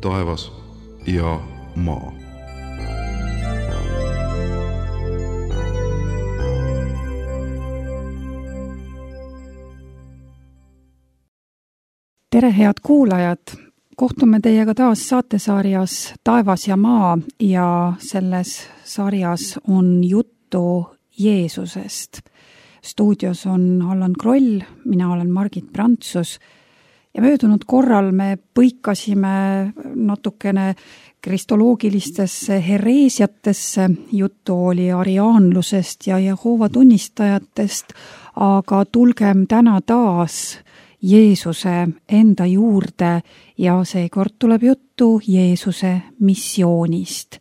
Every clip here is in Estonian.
taevas ja maa. Tere, head kuulajad! Kohtume teiega taas saatesarjas Taevas ja maa ja selles sarjas on juttu Jeesusest. Stuudios on Allan Kroll, mina olen Margit Prantsus ja möödunud korral me põikasime natukene kristoloogilistesse hereesiatesse, juttu oli ariaanlusest ja Jehoova tunnistajatest, aga tulgem täna taas Jeesuse enda juurde ja seekord tuleb juttu Jeesuse missioonist.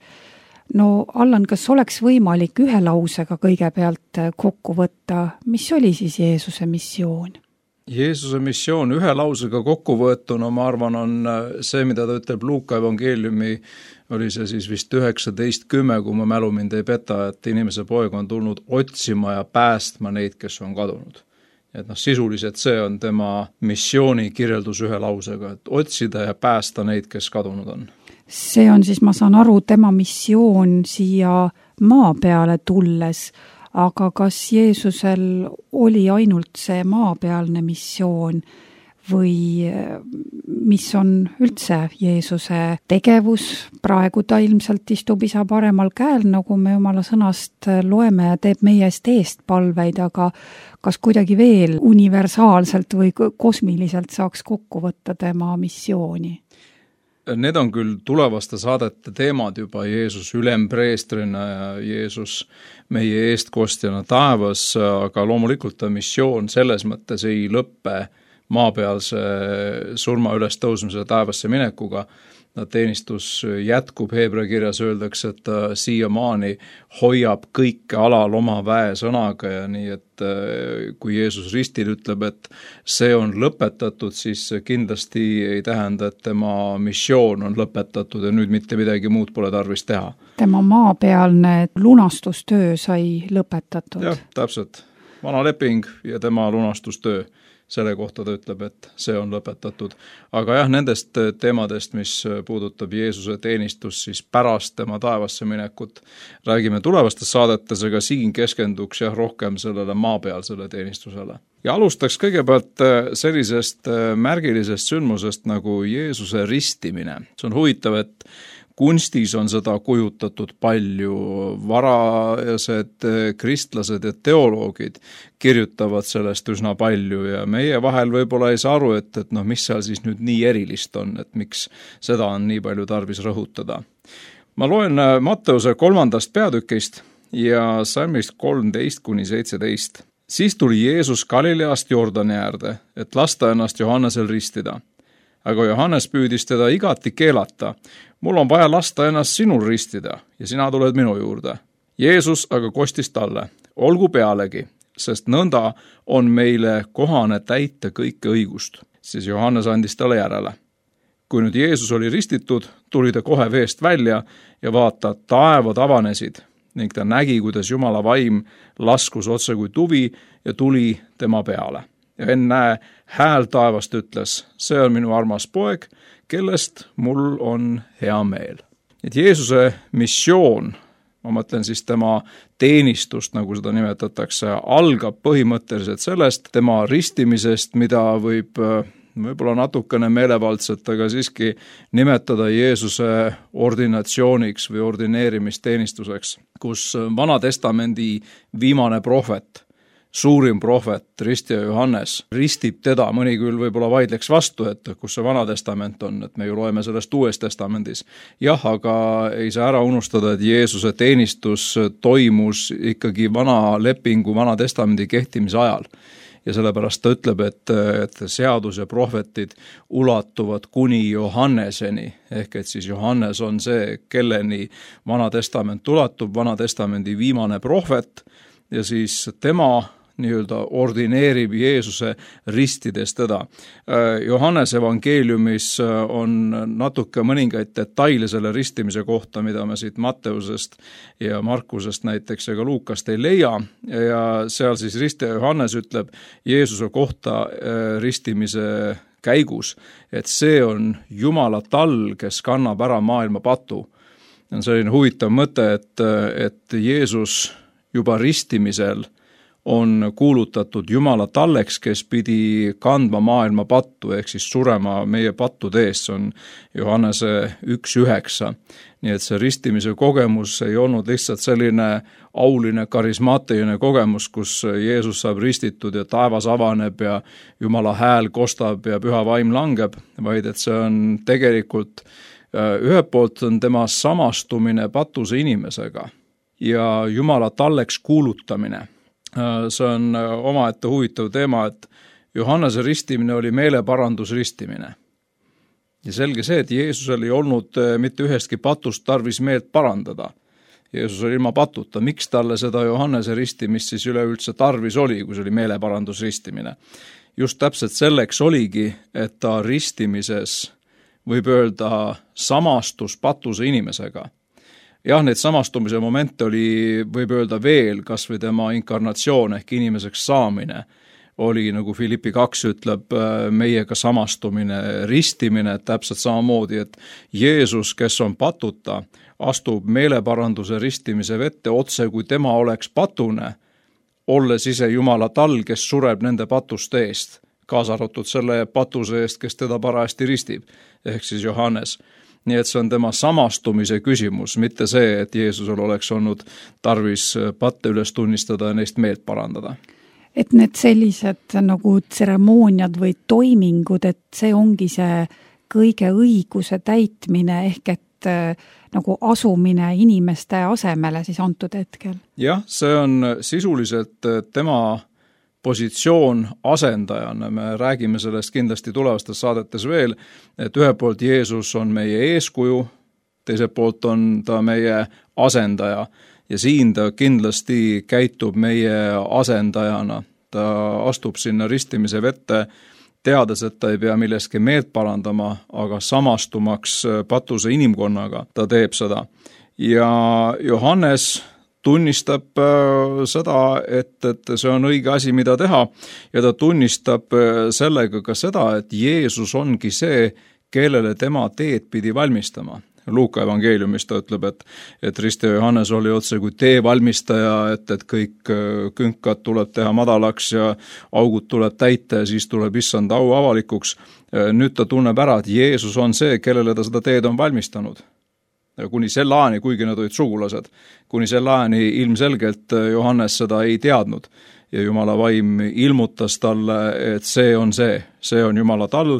No Allan, kas oleks võimalik ühe lausega kõigepealt kokku võtta, mis oli siis Jeesuse missioon? Jeesuse missioon ühe lausega kokkuvõetuna, ma arvan, on see, mida ta ütleb Luuka evangeeliumi, oli see siis vist 19:10, kui ma mälu mind ei peta, et inimese poeg on tulnud otsima ja päästma neid, kes on kadunud. Et sisuliselt see on tema missiooni kirjeldus ühe lausega, et otsida ja päästa neid, kes kadunud on. See on siis, ma saan aru, tema missioon siia maa peale tulles, aga kas Jeesusel oli ainult see maapealne missioon või mis on üldse Jeesuse tegevus? Praegu ta ilmselt istub isa paremal käel, nagu me Jumala sõnast loeme ja teeb meie eest palveid, aga kas kuidagi veel universaalselt või kosmiliselt saaks kokku võtta tema missiooni? Need on küll tulevaste saadete teemad juba, Jeesus ülempreestrina ja Jeesus meie eestkostjana taevas, aga loomulikult ta missioon selles mõttes ei lõppe maapealse surma üles tõusmise taevasse minekuga. Teenistus jätkub, Heebrea kirjas öeldakse, et ta siiamaani hoiab kõike alal oma väesõnaga ja nii, et kui Jeesus ristil ütleb, et see on lõpetatud, siis kindlasti ei tähenda, et tema missioon on lõpetatud ja nüüd mitte midagi muud pole tarvis teha. Tema maapealne lunastustöö sai lõpetatud. Jah, täpselt. Vana leping ja tema lunastustöö. Selle kohta ta ütleb, et see on lõpetatud. Aga jah, nendest teemadest, mis puudutab Jeesuse teenistus, siis pärast tema taevasse minekut räägime tulevastes saadetes, aga siin keskenduks jah rohkem sellele maapealsele teenistusele. Ja alustaks kõigepealt sellisest märgilisest sündmusest nagu Jeesuse ristimine. See on huvitav, et kunstis on seda kujutatud palju, varased kristlased ja teoloogid kirjutavad sellest üsna palju ja meie vahel võib-olla ei saa aru, et mis seal siis nüüd nii erilist on, et miks seda on nii palju tarvis rõhutada. Ma loen Matteuse 3. peatükist ja salmist 13-17. Siis tuli Jeesus Galileast Jordani äärde, et lasta ennast Johannesel ristida. Aga Johannes püüdis teda igati keelata. Mul on vaja lasta ennast sinul ristida ja sina tuled minu juurde. Jeesus aga kostis talle, olgu pealegi, sest nõnda on meile kohane täita kõike õigust. Siis Johannes andis talle järele. Kui nüüd Jeesus oli ristitud, tuli ta kohe veest välja ja vaata, taevad avanesid ning ta nägi, kuidas Jumala vaim laskus otse kui tuvi ja tuli tema peale. Ja enne hääl taevast ütles, see on minu armas poeg, kellest mul on hea meel. Et Jeesuse missioon, ma mõtlen siis tema teenistust, nagu seda nimetatakse, algab põhimõtteliselt sellest tema ristimisest, mida võib-olla natukene meelevaldselt, aga siiski nimetada Jeesuse ordinatsiooniks või ordineerimisteenistuseks, kus Vana Testamendi viimane prohvet, suurim prohvet, ristija Johannes, ristib teda, mõni küll võib-olla vaidleks vastu, et kus see Vana Testament on, et me ju loeme sellest Uues Testamendis. Jah, aga ei saa ära unustada, et Jeesuse teenistus toimus ikkagi Vana lepingu, Vana Testamendi kehtimise ajal. Ja sellepärast ta ütleb, et seadus ja prohvetid ulatuvad kuni Johanneseni, ehk et siis Johannes on see, kelleni Vana Testament ulatub, Vana Testamendi viimane prohvet ja siis tema nii-öelda ordineerib Jeesuse ristides teda. Johannes evangeeliumis on natuke mõningaid detaile selle ristimise kohta, mida me siit Matteusest ja Markusest näiteks ja ka Luukast ei leia. Ja seal siis ristija Johannes ütleb Jeesuse kohta ristimise käigus, et see on Jumala tall, kes kannab ära maailma patu. On selline huvitav mõte, et Jeesus juba ristimisel on kuulutatud Jumala talleks, kes pidi kandma maailma pattu, ehk siis surema meie pattude eest, see on Johannese 1:9. Nii et see ristimise kogemus ei olnud lihtsalt selline auline, karismaatiline kogemus, kus Jeesus saab ristitud ja taevas avaneb ja Jumala hääl kostab ja püha vaim langeb, vaid et see on tegelikult ühelt poolt on tema samastumine patuse inimesega ja Jumala talleks kuulutamine. See on omaette huvitav teema, et Johannese ristimine oli meeleparandusristimine. Ja selge see, et Jeesusel ei olnud mitte ühestki patust tarvis meelt parandada. Jeesus oli ilma patuta. Miks talle seda Johannese ristimist siis üleüldse tarvis oli, kui see oli meeleparandusristimine? Just täpselt selleks oligi, et ta ristimises võib öelda samastus patuse inimesega. Jah, need samastumise momente oli, võib öelda veel, kas või tema inkarnatsioon ehk inimeseks saamine oli, nagu Filippi 2 ütleb, meiega samastumine, ristimine, täpselt samamoodi, et Jeesus, kes on patuta, astub meeleparanduse ristimise vette otse, kui tema oleks patune, olles ise Jumala tall, kes sureb nende patuste eest, kaasa arvatud selle patuse eest, kes teda parajasti ristib, ehk siis Johannes. Nii et see on tema samastumise küsimus, mitte see, et Jeesusel oleks olnud tarvis patte üles tunnistada ja neist meelt parandada. Et need sellised nagu tseremooniad või toimingud, et see ongi see kõige õiguse täitmine ehk et nagu asumine inimeste asemele siis antud hetkel. Jah, see on sisuliselt tema positsioon asendajana, me räägime sellest kindlasti tulevastes saadetes veel, et ühelt poolt Jeesus on meie eeskuju, teiselt poolt on ta meie asendaja ja siin ta kindlasti käitub meie asendajana. Ta astub sinna ristimise vette, teades, et ta ei pea milleski meelt parandama, aga samastumaks patuse inimkonnaga ta teeb seda. Ja Johannes tunnistab seda, et see on õige asi, mida teha ja ta tunnistab sellega ka seda, et Jeesus ongi see, kellele tema teed pidi valmistama. Luuka evangeeliumis ta ütleb, et ristija Johannes oli otse kui tee valmistaja, et kõik künkad tuleb teha madalaks ja augud tuleb täita ja siis tuleb issand au avalikuks. Nüüd ta tunneb ära, et Jeesus on see, kellele ta seda teed on valmistanud. Kuni selle ajani, kuigi nad olid sugulased, kuni selle ajani ilmselgelt Johannes seda ei teadnud. Ja Jumala vaim ilmutas talle, et see on Jumala tall,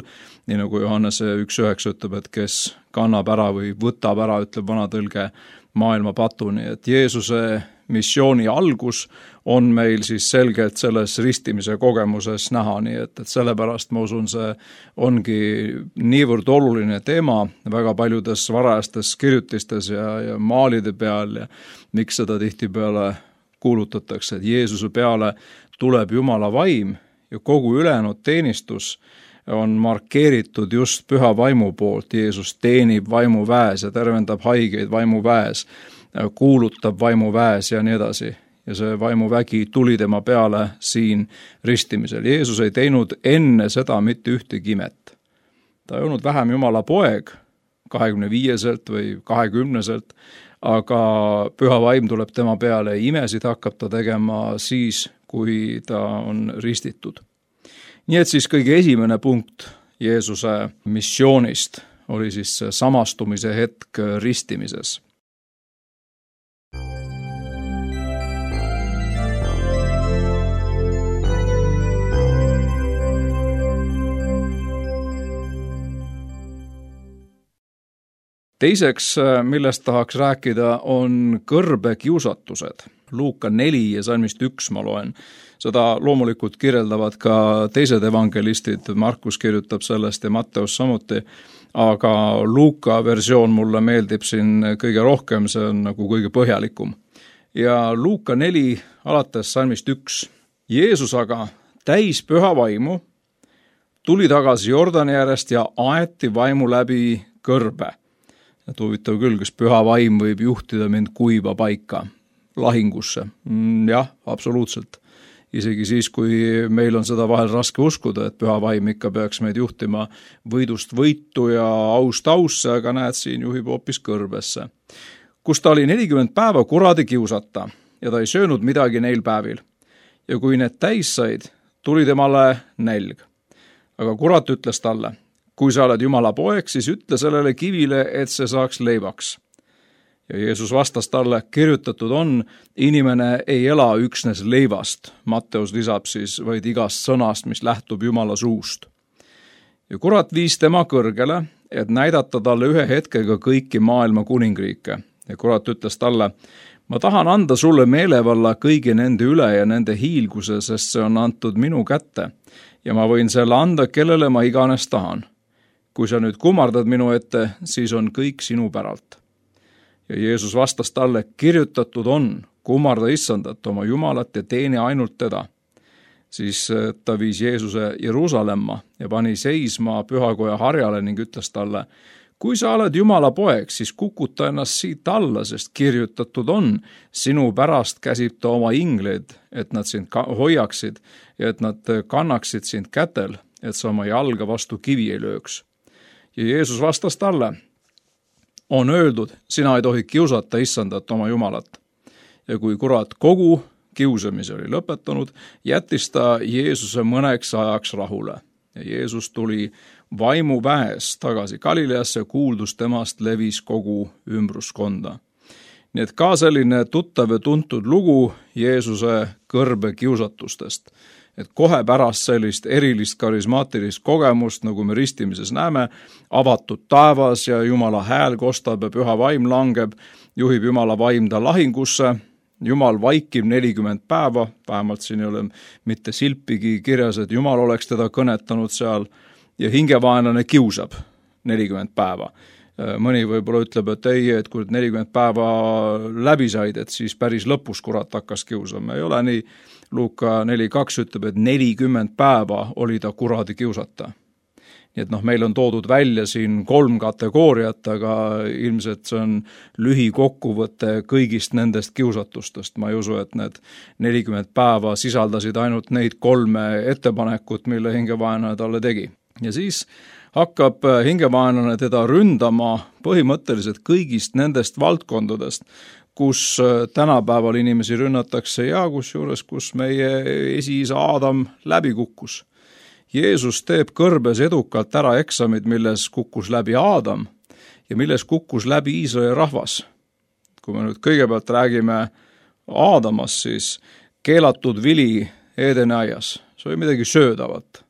nii nagu Johannese 1:9 ütleb, et kes kannab ära või võtab ära, ütleb vana tõlge, maailma patuni. Et Jeesuse missiooni algus on meil siis selgelt selles ristimise kogemuses näha, nii et sellepärast ma usun, see ongi niivõrd oluline teema väga paljudes varajastes kirjutistes ja maalide peal ja miks seda tihtipeale kuulutatakse, et Jeesuse peale tuleb Jumala vaim ja kogu ülejäänud teenistus on markeeritud just püha vaimu poolt. Jeesus teenib vaimu väes ja tervendab haigeid vaimu väes, kuulutab vaimu väes ja nii edasi. Ja see vaimuvägi tuli tema peale siin ristimisel. Jeesus ei teinud enne seda mitte ühtegi imet. Ta ei olnud vähem Jumala poeg 25-selt või 20-selt, aga püha vaim tuleb tema peale ja imesid hakkab ta tegema siis, kui ta on ristitud. Nii et siis kõige esimene punkt Jeesuse missioonist oli siis samastumise hetk ristimises. Teiseks, millest tahaks rääkida, on kõrbekiusatused. Luuka 4 ja salmist 1 ma loen. Seda loomulikult kirjeldavad ka teised evangelistid, Markus kirjutab sellest ja Matteus samuti, aga Luuka versioon mulle meeldib siin kõige rohkem, see on nagu kõige põhjalikum. Ja Luuka 4 alates salmist 1. Jeesus aga täis püha vaimu tuli tagasi Jordani järjest ja aeti vaimu läbi kõrbe. Et huvitav küll, kas püha vaim võib juhtida mind kuiva paika lahingusse. Jah, absoluutselt. isegi siis, kui meil on seda vahel raske uskuda, et püha vaim ikka peaks meid juhtima võidust võitu ja aust ausse, aga näed, siin juhib hoopis kõrbesse. Kus ta oli 40 päeva kuradi kiusata ja ta ei söönud midagi neil päevil. Ja kui need täis said, tuli temale nälg. Aga kurat ütles talle, kui sa oled Jumala poeg, siis ütle sellele kivile, et see saaks leivaks. Ja Jeesus vastas talle, kirjutatud on, inimene ei ela üksnes leivast. Matteus lisab siis vaid igast sõnast, mis lähtub Jumala suust. Ja kurat viis tema kõrgele, et näidata talle ühe hetkega kõiki maailma kuningriike. Ja kurat ütles talle, ma tahan anda sulle meelevalla kõigi nende üle ja nende hiilguse, sest see on antud minu kätte. Ja ma võin selle anda, kellele ma iganes tahan. Kui sa nüüd kummardad minu ette, siis on kõik sinu päralt. Ja Jeesus vastas talle, kirjutatud on, kummarda issandat oma Jumalat ja teeni ainult teda. Siis ta viis Jeesuse Jeruusalemma ja pani seisma pühakoja harjale ning ütles talle, kui sa oled Jumala poeg, siis kukuta ennast siit alla, sest kirjutatud on, sinu pärast käsib ta oma ingleid, et nad sind hoiaksid ja et nad kannaksid sind kätel, et sa oma jalga vastu kivi ei lööks. Ja Jeesus vastas talle, on öeldud, sina ei tohi kiusata issandat oma Jumalat. Ja kui kurat kogu kiusamise oli lõpetanud, jättis ta Jeesuse mõneks ajaks rahule. Ja Jeesus tuli vaimuväes tagasi Galileasse, kuuldus temast levis kogu ümbruskonda. Nii et ka selline tuttav ja tuntud lugu Jeesuse kõrbe kiusatustest. Et kohe pärast sellist erilist karismaatilist kogemust, nagu me ristimises näeme, avatud taevas ja Jumala hääl kostab ja püha vaim langeb, juhib Jumala vaim ta lahingusse, Jumal vaikib 40 päeva, vähemalt siin ei ole mitte silpigi kirjas, et Jumal oleks teda kõnetanud seal, ja hingevaenlane kiusab 40 päeva. Mõni võib-olla ütleb, et ei, et kui 40 päeva läbi said, et siis päris lõpus kurat hakkas kiusama. Ei ole nii, Luuka 4.2 ütleb, et 40 päeva oli ta kuradi kiusata. Nii et meil on toodud välja siin 3 kategooriat, aga ilmselt see on lühikokkuvõte kõigist nendest kiusatustest. Ma ei usu, et need 40 päeva sisaldasid ainult neid 3 ettepanekut, mille hingevaenlane talle tegi. Ja siis hakkab hingevaenlane teda ründama põhimõtteliselt kõigist nendest valdkondadest, kus tänapäeval inimesi rünnatakse ja kusjuures, kus meie esiisa Aadam läbi kukkus. Jeesus teeb kõrbes edukalt ära eksamid, milles kukkus läbi Aadam ja milles kukkus läbi Iisraeli rahvas. Kui me nüüd kõigepealt räägime Aadamast, siis keelatud vili Eedeni aias, see oli midagi söödavat.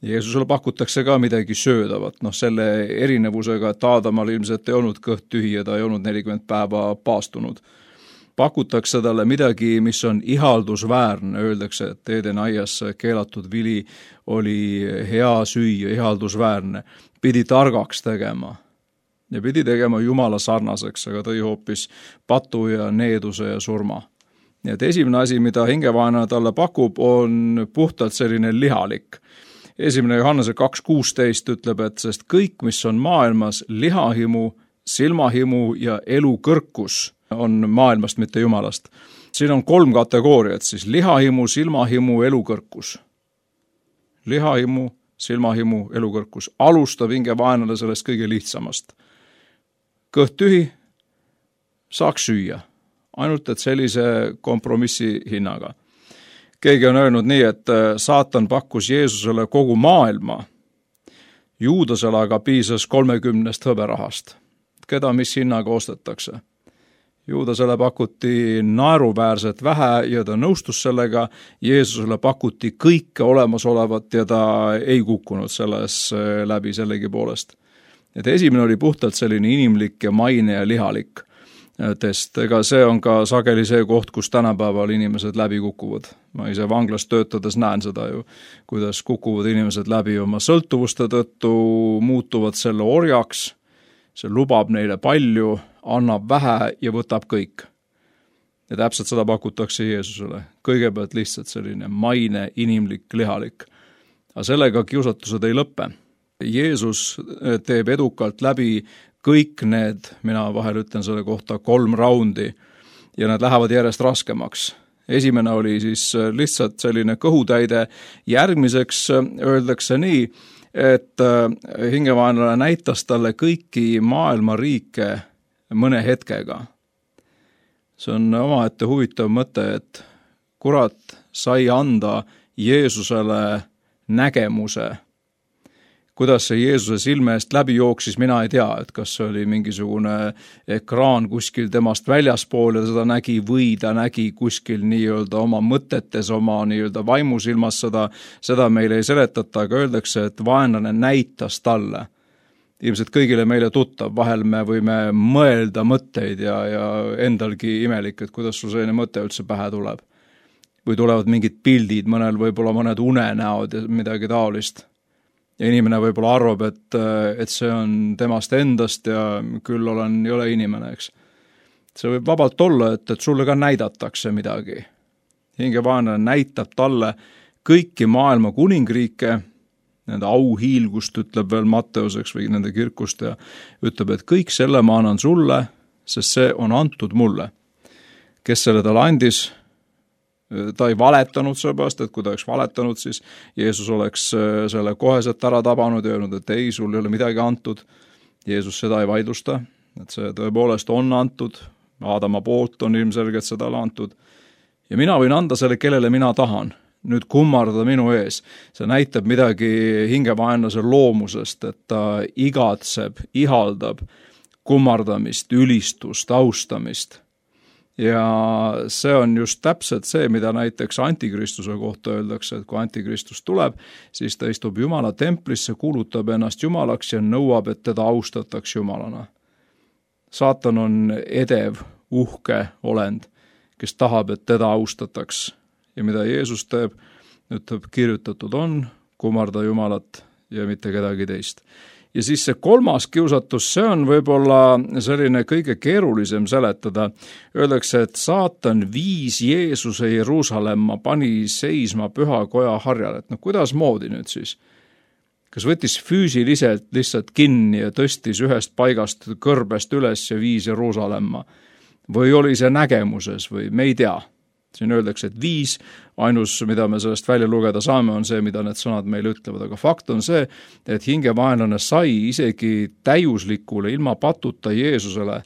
Jeesusele pakutakse ka midagi söödavat, selle erinevusega, et Aadamal ilmselt ei olnud kõht tühi ja ta ei olnud 40 päeva paastunud. Pakutakse talle midagi, mis on ihaldusväärne, öeldakse, et Eedeni aias keelatud vili oli hea süüa, ihaldusväärne, pidi targaks tegema ja pidi tegema Jumala sarnaseks, aga tõi hoopis patu ja needuse ja surma. Nii et esimene asi, mida hingevaenlane talle pakub, on puhtalt selline lihalik. 1. Johannese 2.16 ütleb, et sest kõik, mis on maailmas, lihahimu, silmahimu ja elukõrkus on maailmast, mitte Jumalast. Siin on 3 kategooriat, siis lihahimu, silmahimu, elukõrkus. Lihahimu, silmahimu, elukõrkus. Alustab hingevaenlane sellest kõige lihtsamast. Kõht tühi, saaks süüa. Ainult, et sellise kompromissi hinnaga. Keegi on öelnud nii, et saatan pakkus Jeesusele kogu maailma. Juudasele aga piisas 30 hõberahast. Keda mis hinnaga ostetakse? Juudasele pakuti naeruväärset vähe ja ta nõustus sellega. Jeesusele pakuti kõike olemasolevat ja ta ei kukkunud selles läbi sellegi poolest. Et esimene oli puhtalt selline inimlik ja maine ja lihalik test. Ega see on ka sageli see koht, kus tänapäeval inimesed läbi kukuvad. Ma ise vanglas töötades näen seda ju, kuidas kukuvad inimesed läbi oma sõltuvuste tõttu, muutuvad selle orjaks, see lubab neile palju, annab vähe ja võtab kõik. Ja täpselt seda pakutakse Jeesusele. Kõigepealt lihtsalt selline maine, inimlik, lihalik. Aga sellega kiusatused ei lõppe. Jeesus teeb edukalt läbi kõik need, mina vahel ütlen selle kohta 3 raundi ja nad lähevad järjest raskemaks. esimene oli siis lihtsalt selline kõhutäide, järgmiseks öeldakse nii, et hingevaenlane näitas talle kõiki maailma riike mõne hetkega. See on omaette huvitav mõte, et kurat sai anda Jeesusele nägemuse. Kuidas see Jeesuse silme eest läbi jooksis, mina ei tea, et kas see oli mingisugune ekraan kuskil temast väljaspool ja seda nägi või ta nägi kuskil nii-öelda oma mõtetes, oma nii-öelda vaimusilmas seda meile ei seletata, aga öeldakse, et vaenlane näitas talle. Ilmselt kõigile meile tuttav, vahel me võime mõelda mõtteid ja endalgi imelik, et kuidas sul selline mõte üldse pähe tuleb. Või tulevad mingid pildid, mõnel võib-olla mõned unenäod ja midagi taolist. Ja inimene võib-olla arvab, et see on temast endast ja küll ei ole inimene, eks. See võib vabalt olla, et sulle ka näidatakse midagi. Hingevaenlane näitab talle kõiki maailma kuningriike, nende auhiilgust ütleb veel Matteuseks või nende kirkust ja ütleb, et kõik selle ma annan sulle, sest see on antud mulle. Kes selle talle andis? Ta ei valetanud sellepärast, et kui ta oleks valetanud, siis Jeesus oleks selle koheselt ära tabanud ja öelnud, et ei, sul ei ole midagi antud. Jeesus seda ei vaidlusta, et see tõepoolest on antud, Aadama poolt on ilmselgelt seda antud. Ja mina võin anda selle, kellele mina tahan, nüüd kummardada minu ees. See näitab midagi hingevaenlase loomusest, et ta igatseb, ihaldab kummardamist, ülistust, austamist. Ja see on just täpselt see, mida näiteks antikristuse kohta öeldakse, et kui antikristus tuleb, siis ta istub Jumala templisse, kuulutab ennast Jumalaks ja nõuab, et teda austataks Jumalana. Saatan on edev, uhke olend, kes tahab, et teda austataks. Ja mida Jeesus teeb, ütleb, kirjutatud on, kummarda Jumalat ja mitte kedagi teist. Ja siis see kolmas kiusatus, see on võib-olla selline kõige keerulisem seletada. Öeldakse, et saatan viis Jeesuse Jeruusalemma, pani seisma pühakoja harjal. Et kuidas moodi nüüd siis? Kas võttis füüsiliselt lihtsalt kinni ja tõstis ühest paigast kõrbest üles ja viis Jeruusalemma? Või oli see nägemuses või me ei tea? Siin öeldakse, et viis, ainus, mida me sellest välja lugeda saame, on see, mida need sõnad meile ütlevad. Aga fakt on see, et hingevaenlane sai isegi täiuslikule ilma patuta Jeesusele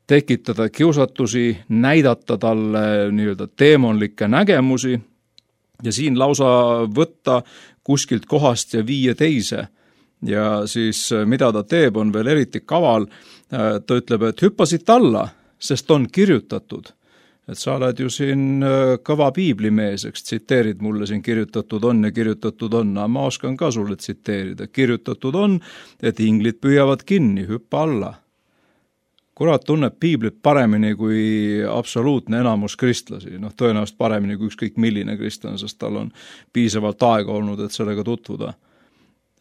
tekitada kiusatusi, näidata talle nii-öelda teemonlikke nägemusi ja siin lausa võtta kuskilt kohast ja viia teise. Ja siis mida ta teeb, on veel eriti kaval. Ta ütleb, et hüppasid alla, sest on kirjutatud. Et sa oled ju siin kõva piiblimees, eks tsiteerid mulle siin kirjutatud on ja kirjutatud on, aga ma oskan ka sulle tsiteerida. Kirjutatud on, et inglid püüavad kinni, hüppa alla. Kurat tunneb piiblit paremini kui absoluutne enamus kristlasi, tõenäoliselt paremini kui ükskõik milline kristlane, sest tal on piisavalt aega olnud, et sellega tutvuda.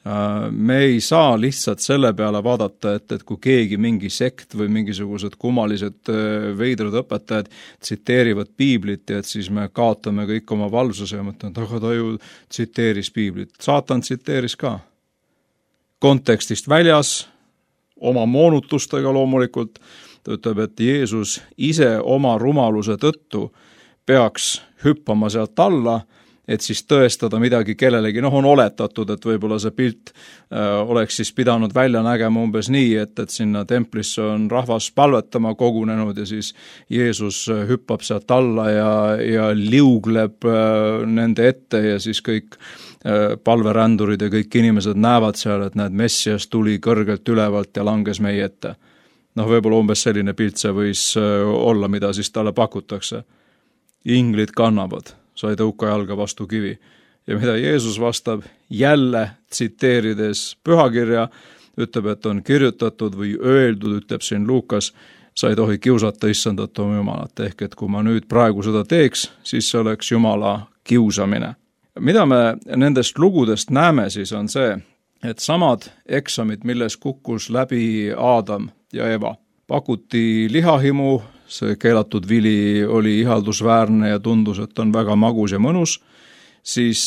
Me ei saa lihtsalt selle peale vaadata, et kui keegi mingi sekt või mingisugused kummalised veidrad õpetajad tsiteerivad piiblit ja et siis me kaotame kõik oma valvsuse ja mõtlen, et aga ta ju tsiteeris piiblit. Saatan tsiteeris ka. Kontekstist väljas, oma moonutustega loomulikult, ta ütleb, et Jeesus ise oma rumaluse tõttu peaks hüppama sealt alla, et siis tõestada midagi kellelegi. On oletatud, et võib-olla see pilt oleks siis pidanud välja nägema umbes nii, et sinna templisse on rahvas palvetama kogunenud ja siis Jeesus hüppab sealt alla ja liugleb nende ette ja siis kõik palverändurid ja kõik inimesed näevad seal, et näed, Messias tuli kõrgelt ülevalt ja langes meie ette. Võib-olla umbes selline pilt see võis olla, mida siis talle pakutakse. Inglid kannavad. Sai tõuka jalga vastu kivi. Ja mida Jeesus vastab, jälle tsiteerides pühakirja, ütleb, et on kirjutatud või öeldud, ütleb siin Luukas, sa ei tohi kiusata issandat oma Jumalat. Ehk, et kui ma nüüd praegu seda teeks, siis see oleks Jumala kiusamine. Mida me nendest lugudest näeme siis on see, et samad eksamid, milles kukkus läbi Aadam ja Eva, pakuti lihahimu, see keelatud vili oli ihaldusväärne ja tundus, et on väga magus ja mõnus, siis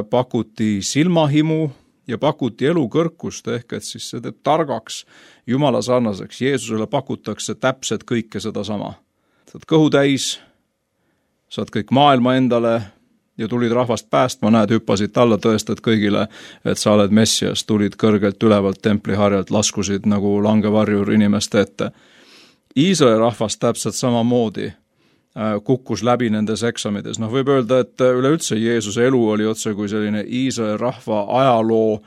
pakuti silmahimu ja pakuti elukõrkust, ehk et siis see teeb targaks, Jumala sarnaseks. Jeesusele pakutakse täpselt kõike seda sama. Kõhu täis, saad kõik maailma endale ja tulid rahvast päästma, näed, hüppasid alla, tõestad kõigile, et sa oled Messias, tulid kõrgelt ülevalt templiharjalt, laskusid nagu langevarjur inimeste ette. Iisraeli rahvas täpselt samamoodi kukkus läbi nendes eksamides. Võib öelda, et üleüldse Jeesuse elu oli otse kui selline Iisraeli rahva ajaloo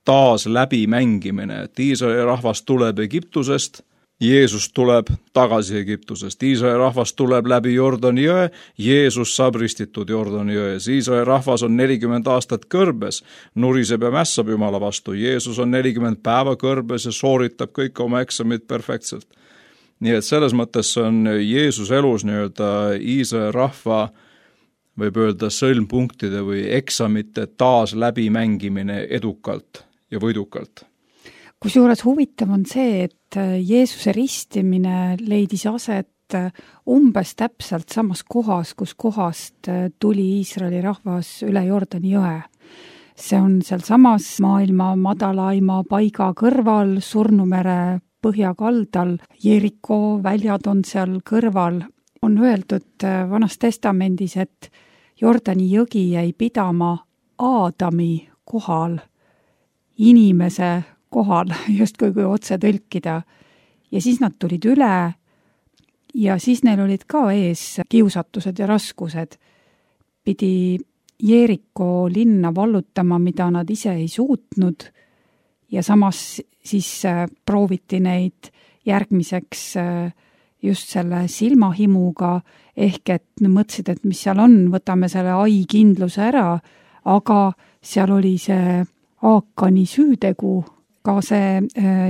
taas läbimängimine, et Iisraeli rahvas tuleb Egiptusest, Jeesus tuleb tagasi Egiptusest, Iisraeli rahvas tuleb läbi Jordani jõe, Jeesus saab ristitud Jordani jões, Iisraeli rahvas on 40 aastat kõrbes, nuriseb ja mässab Jumala vastu, Jeesus on 40 päeva kõrbes ja sooritab kõik oma eksamid perfektselt. Nii et selles mõttes on Jeesus elus nii-öelda Iisraeli rahva, võib öelda sõlmpunktide või eksamite taas läbimängimine edukalt ja võidukalt. Kusjuures huvitav on see, et Jeesuse ristimine leidis aset umbes täpselt samas kohas, kus kohast tuli Iisraeli rahvas üle Jordani jõe. See on seal samas maailma madalaima paiga kõrval, Surnumere põhjakaldal, Jeriko väljad on seal kõrval. On öeldud Vanas Testamendis, et Jordani jõgi jäi pidama Aadami kohal, inimese kohal, justkui kui otse tõlkida. Ja siis nad tulid üle ja siis neil olid ka ees kiusatused ja raskused. Pidi Jeriko linna vallutama, mida nad ise ei suutnud ja samas siis prooviti neid järgmiseks just selle silmahimuga, ehk et mõtlesid, et mis seal on, võtame selle ai-kindluse ära, aga seal oli see Aakani süütegu. Ka see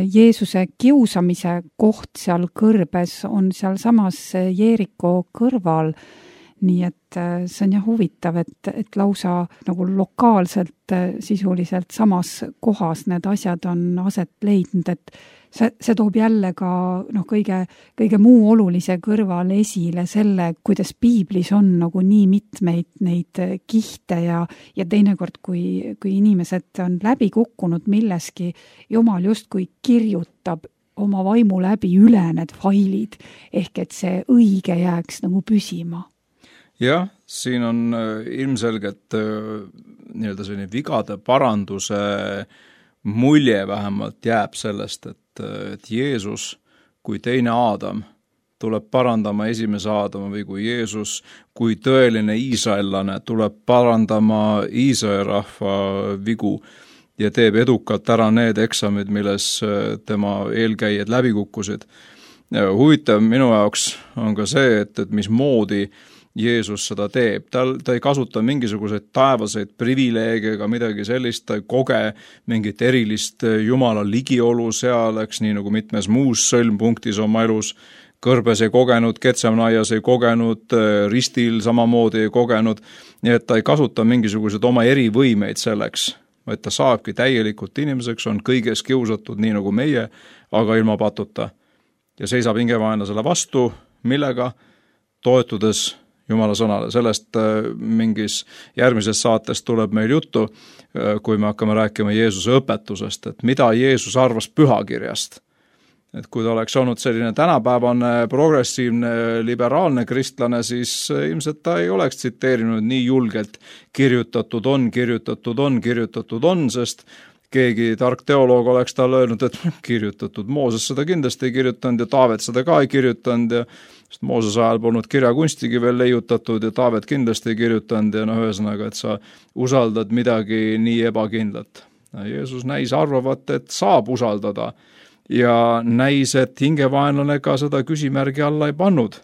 Jeesuse kiusamise koht seal kõrbes on seal samas Jeriko kõrval. Nii et see on jah huvitav, et lausa nagu lokaalselt sisuliselt samas kohas need asjad on aset leidnud, et see toob jälle ka kõige muu olulise kõrval esile selle, kuidas piiblis on nagu nii mitmeid neid kihte ja teinekord, kui inimesed on läbi kukkunud milleski, Jumal justkui kirjutab oma vaimu läbi üle need failid, ehk et see õige jääks nagu püsima. Jah, siin on ilmselgelt nii-öelda selline vigade paranduse mulje vähemalt jääb sellest, et Jeesus kui teine Aadam tuleb parandama esimese Aadama või kui Jeesus kui tõeline iisraellane tuleb parandama Iisraeli rahva vigu ja teeb edukalt ära need eksamid, milles tema eelkäijad läbi kukkusid. Huvitav minu jaoks on ka see, et mismoodi Jeesus seda teeb. Ta ei kasuta mingisuguseid taevaseid privileege ega midagi sellist, ta ei koge mingit erilist Jumala ligiolu seal, nii nagu mitmes muus sõlmpunktis oma elus. Kõrbes ei kogenud, Getsemaias ei kogenud, ristil samamoodi ei kogenud, nii et ta ei kasuta mingisuguseid oma erivõimeid selleks, vaid ta saabki täielikult inimeseks, on kõiges kiusatud nii nagu meie, aga ilma patuta. Ja seisab hingevaenlasele vastu, millega toetudes Jumala sõnale. Sellest mingis järgmises saates tuleb meil juttu, kui me hakkame rääkima Jeesuse õpetusest, et mida Jeesus arvas pühakirjast. Et kui ta oleks olnud selline tänapäevane, progressiivne, liberaalne kristlane, siis ilmselt ta ei oleks tsiteerinud nii julgelt kirjutatud on, sest keegi tark teoloog oleks talle öelnud, et kirjutatud. Mooses seda kindlasti ei kirjutanud ja Taavet seda ka ei kirjutanud ja Mooses ajal polnud kirjakunstigi veel leiutatud ja Taavet kindlasti ei kirjutanud ja ühesõnaga, et sa usaldad midagi nii ebakindlat. Jeesus näis arvavat, et saab usaldada ja näis, et hingevaenlane ka seda küsimärgi alla ei pannud.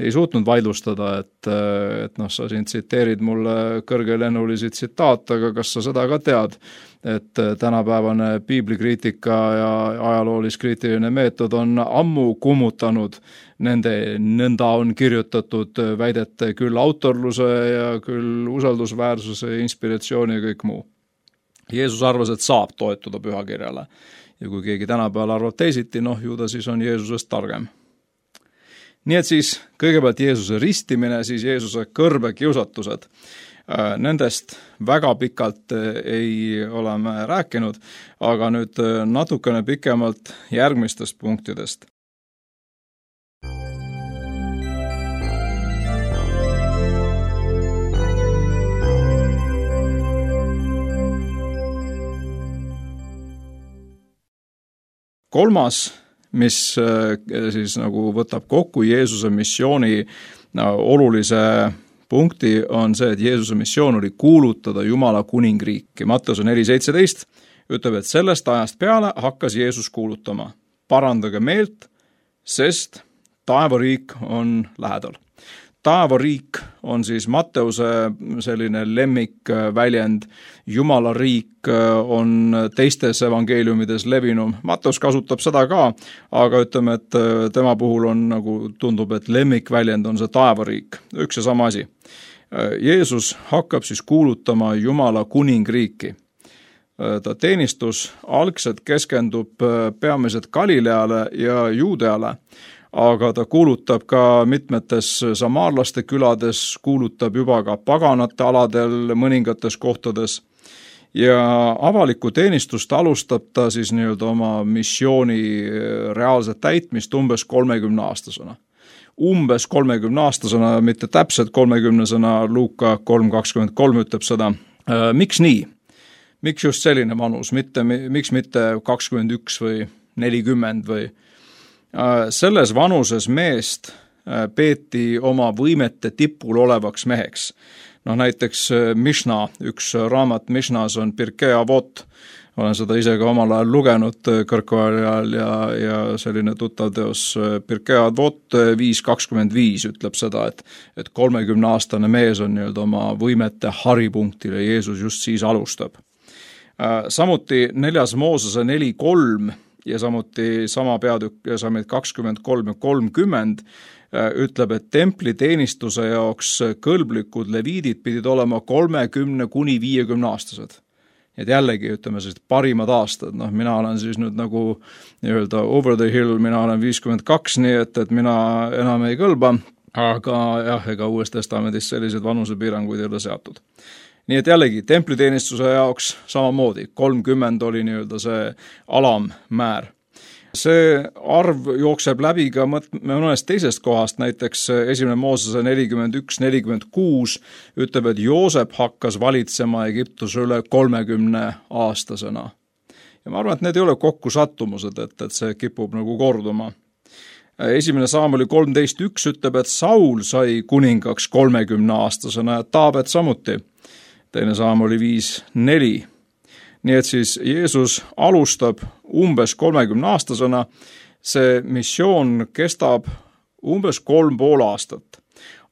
Ei suutnud vaidlustada, et sa siin tsiteerid mulle kõrgelennulisi tsitaate, aga kas sa seda ka tead, et tänapäevane piiblikriitika ja ajaloolis-kriitiline meetod on ammu kummutanud nende nõnda on kirjutatud väidete küll autorluse ja küll usaldusväärsuse, inspiratsiooni ja kõik muu. Jeesus arvas, et saab toetuda pühakirjale ja kui keegi tänapäeval arvab teisiti, ju ta siis on Jeesusest targem. Nii et siis kõigepealt Jeesuse ristimine, siis Jeesuse kõrbekiusatused. Nendest väga pikalt ei ole me rääkinud, aga nüüd natukene pikemalt järgmistest punktidest. kolmas, mis siis nagu võtab kokku Jeesuse missiooni olulise punkti, on see, et Jeesuse missioon oli kuulutada Jumala kuningriiki. Matteuse 4.17 ütleb, et sellest ajast peale hakkas Jeesus kuulutama: parandage meelt, sest taevariik on lähedal. Taevariik on siis Matteuse selline lemmikväljend, Jumala riik on teistes evangeeliumides levinum. Matteus kasutab seda ka, aga ütleme, et tema puhul on nagu tundub, et lemmikväljend on see taevariik, üks ja sama asi. Jeesus hakkab siis kuulutama Jumala kuningriiki. Ta teenistus algselt keskendub peamiselt Galileale ja Juudeale, aga ta kuulutab ka mitmetes samaarlaste külades, kuulutab juba ka paganate aladel mõningates kohtades ja avalikku teenistust alustab ta siis nii-öelda oma missiooni reaalset täitmist umbes 30-aastasena. Umbes 30-aastasena, mitte täpselt 30-sena, Luuka 3.23 ütleb seda. Miks nii? Miks just selline vanus? Miks mitte 21 või 40 või? Selles vanuses meest peeti oma võimete tipul olevaks meheks. Näiteks Mishna, üks raamat Mishnas on Pirkei Avot, olen seda ise ka omal ajal lugenud kõrgkooli ajal ja selline tuttav teos Pirkei Avot 5.25 ütleb seda, et 30-aastane mees on nii-öelda oma võimete haripunktil ja Jeesus just siis alustab. Samuti 4. Moosese 4.3 ja samuti sama peatükk ja samuti 23 ja 30 ütleb, et templi teenistuse jaoks kõlblikud leviidid pidid olema 30 kuni 50 aastased. Et jällegi, ütleme siis parimad aastad, mina olen siis nüüd nagu nii-öelda over the hill, mina olen 52, nii et mina enam ei kõlba, aga jah, ega Uues Testamendis sellised vanusepiiranguid ei ole seatud. Nii et jällegi, templiteenistuse jaoks samamoodi, 30 oli nii-öelda see alammäär. See arv jookseb läbi ka mõnest teisest kohast, näiteks 1. Moosese 41-46 ütleb, et Joosep hakkas valitsema Egiptuse üle 30-aastasena. Ja ma arvan, et need ei ole kokkusattumused, et see kipub nagu korduma. 1. Saamuli 13.1 ütleb, et Saul sai kuningaks 30-aastasena ja Taavet samuti. 2. Saamuli 5.4. Nii et siis Jeesus alustab umbes 30-aastasena, see missioon kestab umbes 3,5 aastat.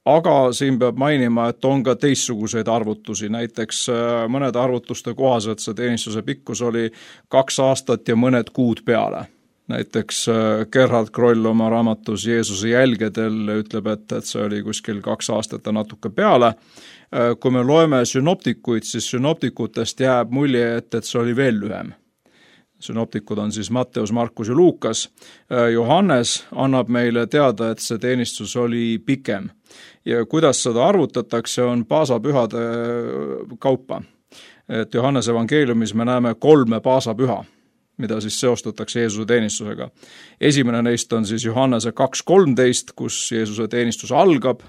Aga siin peab mainima, et on ka teistsuguseid arvutusi, näiteks mõnede arvutuste kohaselt see teenistuse pikkus oli 2 aastat ja mõned kuud peale. Näiteks Gerhard Kroll oma raamatus Jeesuse jälgedel ütleb, et see oli kuskil 2 aastat ja natuke peale. Kui me loeme synoptikuid, siis synoptikutest jääb mulje, et see oli veel lühem. Synoptikud on siis Matteus, Markus ja Luukas. Johannes annab meile teada, et see teenistus oli pikem. Ja kuidas seda arvutatakse, on paasapühade kaupa. Et Johannese evangeeliumis me näeme 3 paasapüha, mida siis seostatakse Jeesuse teenistusega. Esimene neist on siis Johannese 2.13, kus Jeesuse teenistus algab.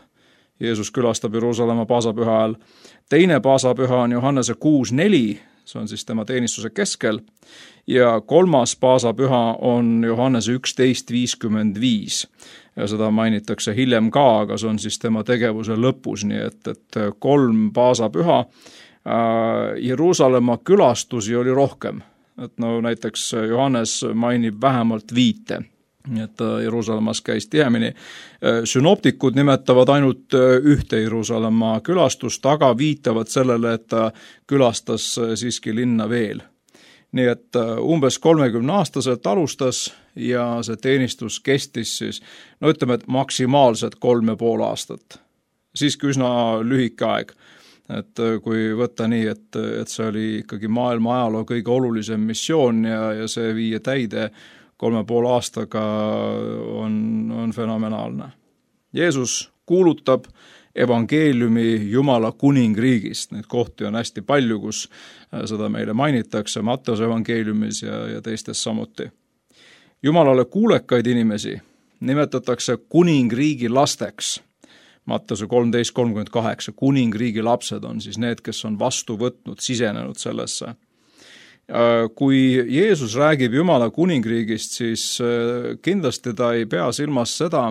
Jeesus külastab Jeruusalemma paasapüha ajal. Teine paasapüha on Johannese 6.4, see on siis tema teenistuse keskel. Ja 3. paasapüha on Johannese 11.55. Ja seda mainitakse hiljem ka, aga see on siis tema tegevuse lõpus, nii et 3 paasapüha. Jeruusalemma külastusi oli rohkem. Et näiteks Johannes mainib vähemalt 5. Et Jeruusalemmas käis tihemini. Synoptikud nimetavad ainult ühte Jeruusalemma külastust, aga viitavad sellele, et ta külastas siiski linna veel. Nii et umbes 30-aastaselt alustas ja see teenistus kestis siis, ütleme, et maksimaalselt 3,5 aastat. Siiski üsna lühike aeg. Et kui võtta nii, et see oli ikkagi maailma ajaloo kõige olulisem missioon ja see viia täide 3,5 aastaga on fenomenaalne. Jeesus kuulutab evangeeliumi Jumala kuningriigist. Neid kohti on hästi palju, kus seda meile mainitakse Matteuse evangeeliumis ja teistes samuti. Jumalale kuulekaid inimesi nimetatakse kuningriigi lasteks. Matteuse 13.38, kuningriigi lapsed on siis need, kes on vastu võtnud, sisenenud sellesse. Kui Jeesus räägib Jumala kuningriigist, siis kindlasti ta ei pea silmas seda,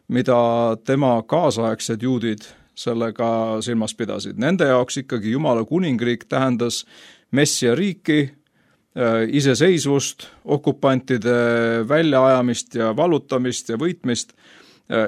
mida tema kaasaegsed juudid sellega silmas pidasid. Nende jaoks ikkagi Jumala kuningriik tähendas Messia riiki, iseseisvust, okupantide väljaajamist ja vallutamist ja võitmist.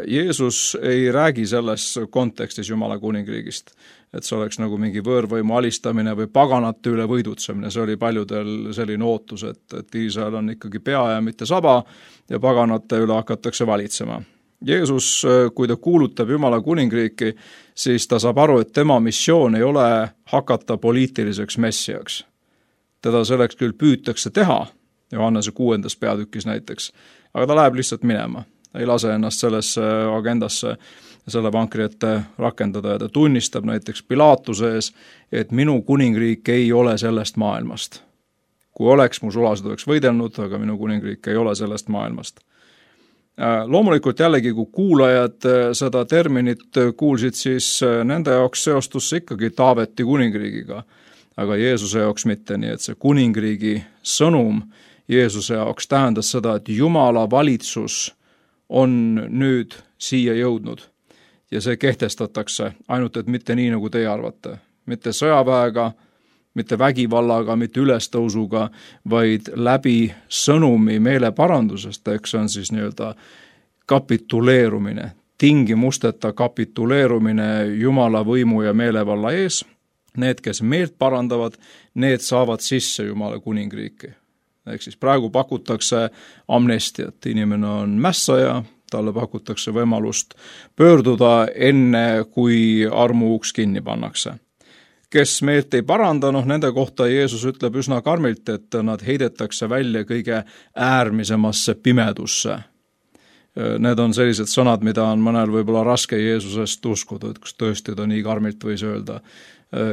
Jeesus ei räägi selles kontekstis Jumala kuningriigist, et see oleks nagu mingi võõrvõimu alistamine või paganate üle võidutsemine. See oli paljudel selline ootus, et Iisrael on ikkagi pea ja mitte saba ja paganate üle hakatakse valitsema. Jeesus, kui ta kuulutab Jumala kuningriiki, siis ta saab aru, et tema missioon ei ole hakata poliitiliseks messiaks. Teda selleks küll püütakse teha, Johannese 6. peatükis näiteks, aga ta läheb lihtsalt minema. Ei lase ennast sellesse agendasse selle vankri ette rakendada ja ta tunnistab näiteks Pilaatuse ees, et minu kuningriik ei ole sellest maailmast. Kui oleks, mu sulased oleks võidelnud, aga minu kuningriik ei ole sellest maailmast. Loomulikult jällegi, kui kuulajad seda terminit kuulsid, siis nende jaoks seostus see ikkagi Taaveti kuningriigiga, aga Jeesuse jaoks mitte, nii et see kuningriigi sõnum Jeesuse jaoks tähendas seda, et Jumala valitsus on nüüd siia jõudnud ja see kehtestatakse, ainult et mitte nii, nagu teie arvate. Mitte sõjaväega, mitte vägivallaga, mitte ülestõusuga, vaid läbi sõnumi meeleparandusest, eks see on siis nii-öelda kapituleerumine, tingimusteta kapituleerumine Jumala võimu ja meelevalla ees. Need, kes meelt parandavad, need saavad sisse Jumala kuningriiki. Ehk siis praegu pakutakse amnestiat, inimene on mässaja, talle pakutakse võimalust pöörduda enne, kui armuuks kinni pannakse. Kes meelt ei paranda, nende kohta Jeesus ütleb üsna karmilt, et nad heidetakse välja kõige äärmisemasse pimedusse. Need on sellised sõnad, mida on mõnel võib-olla raske Jeesusest uskuda, et kas tõesti ta nii karmilt võis öelda.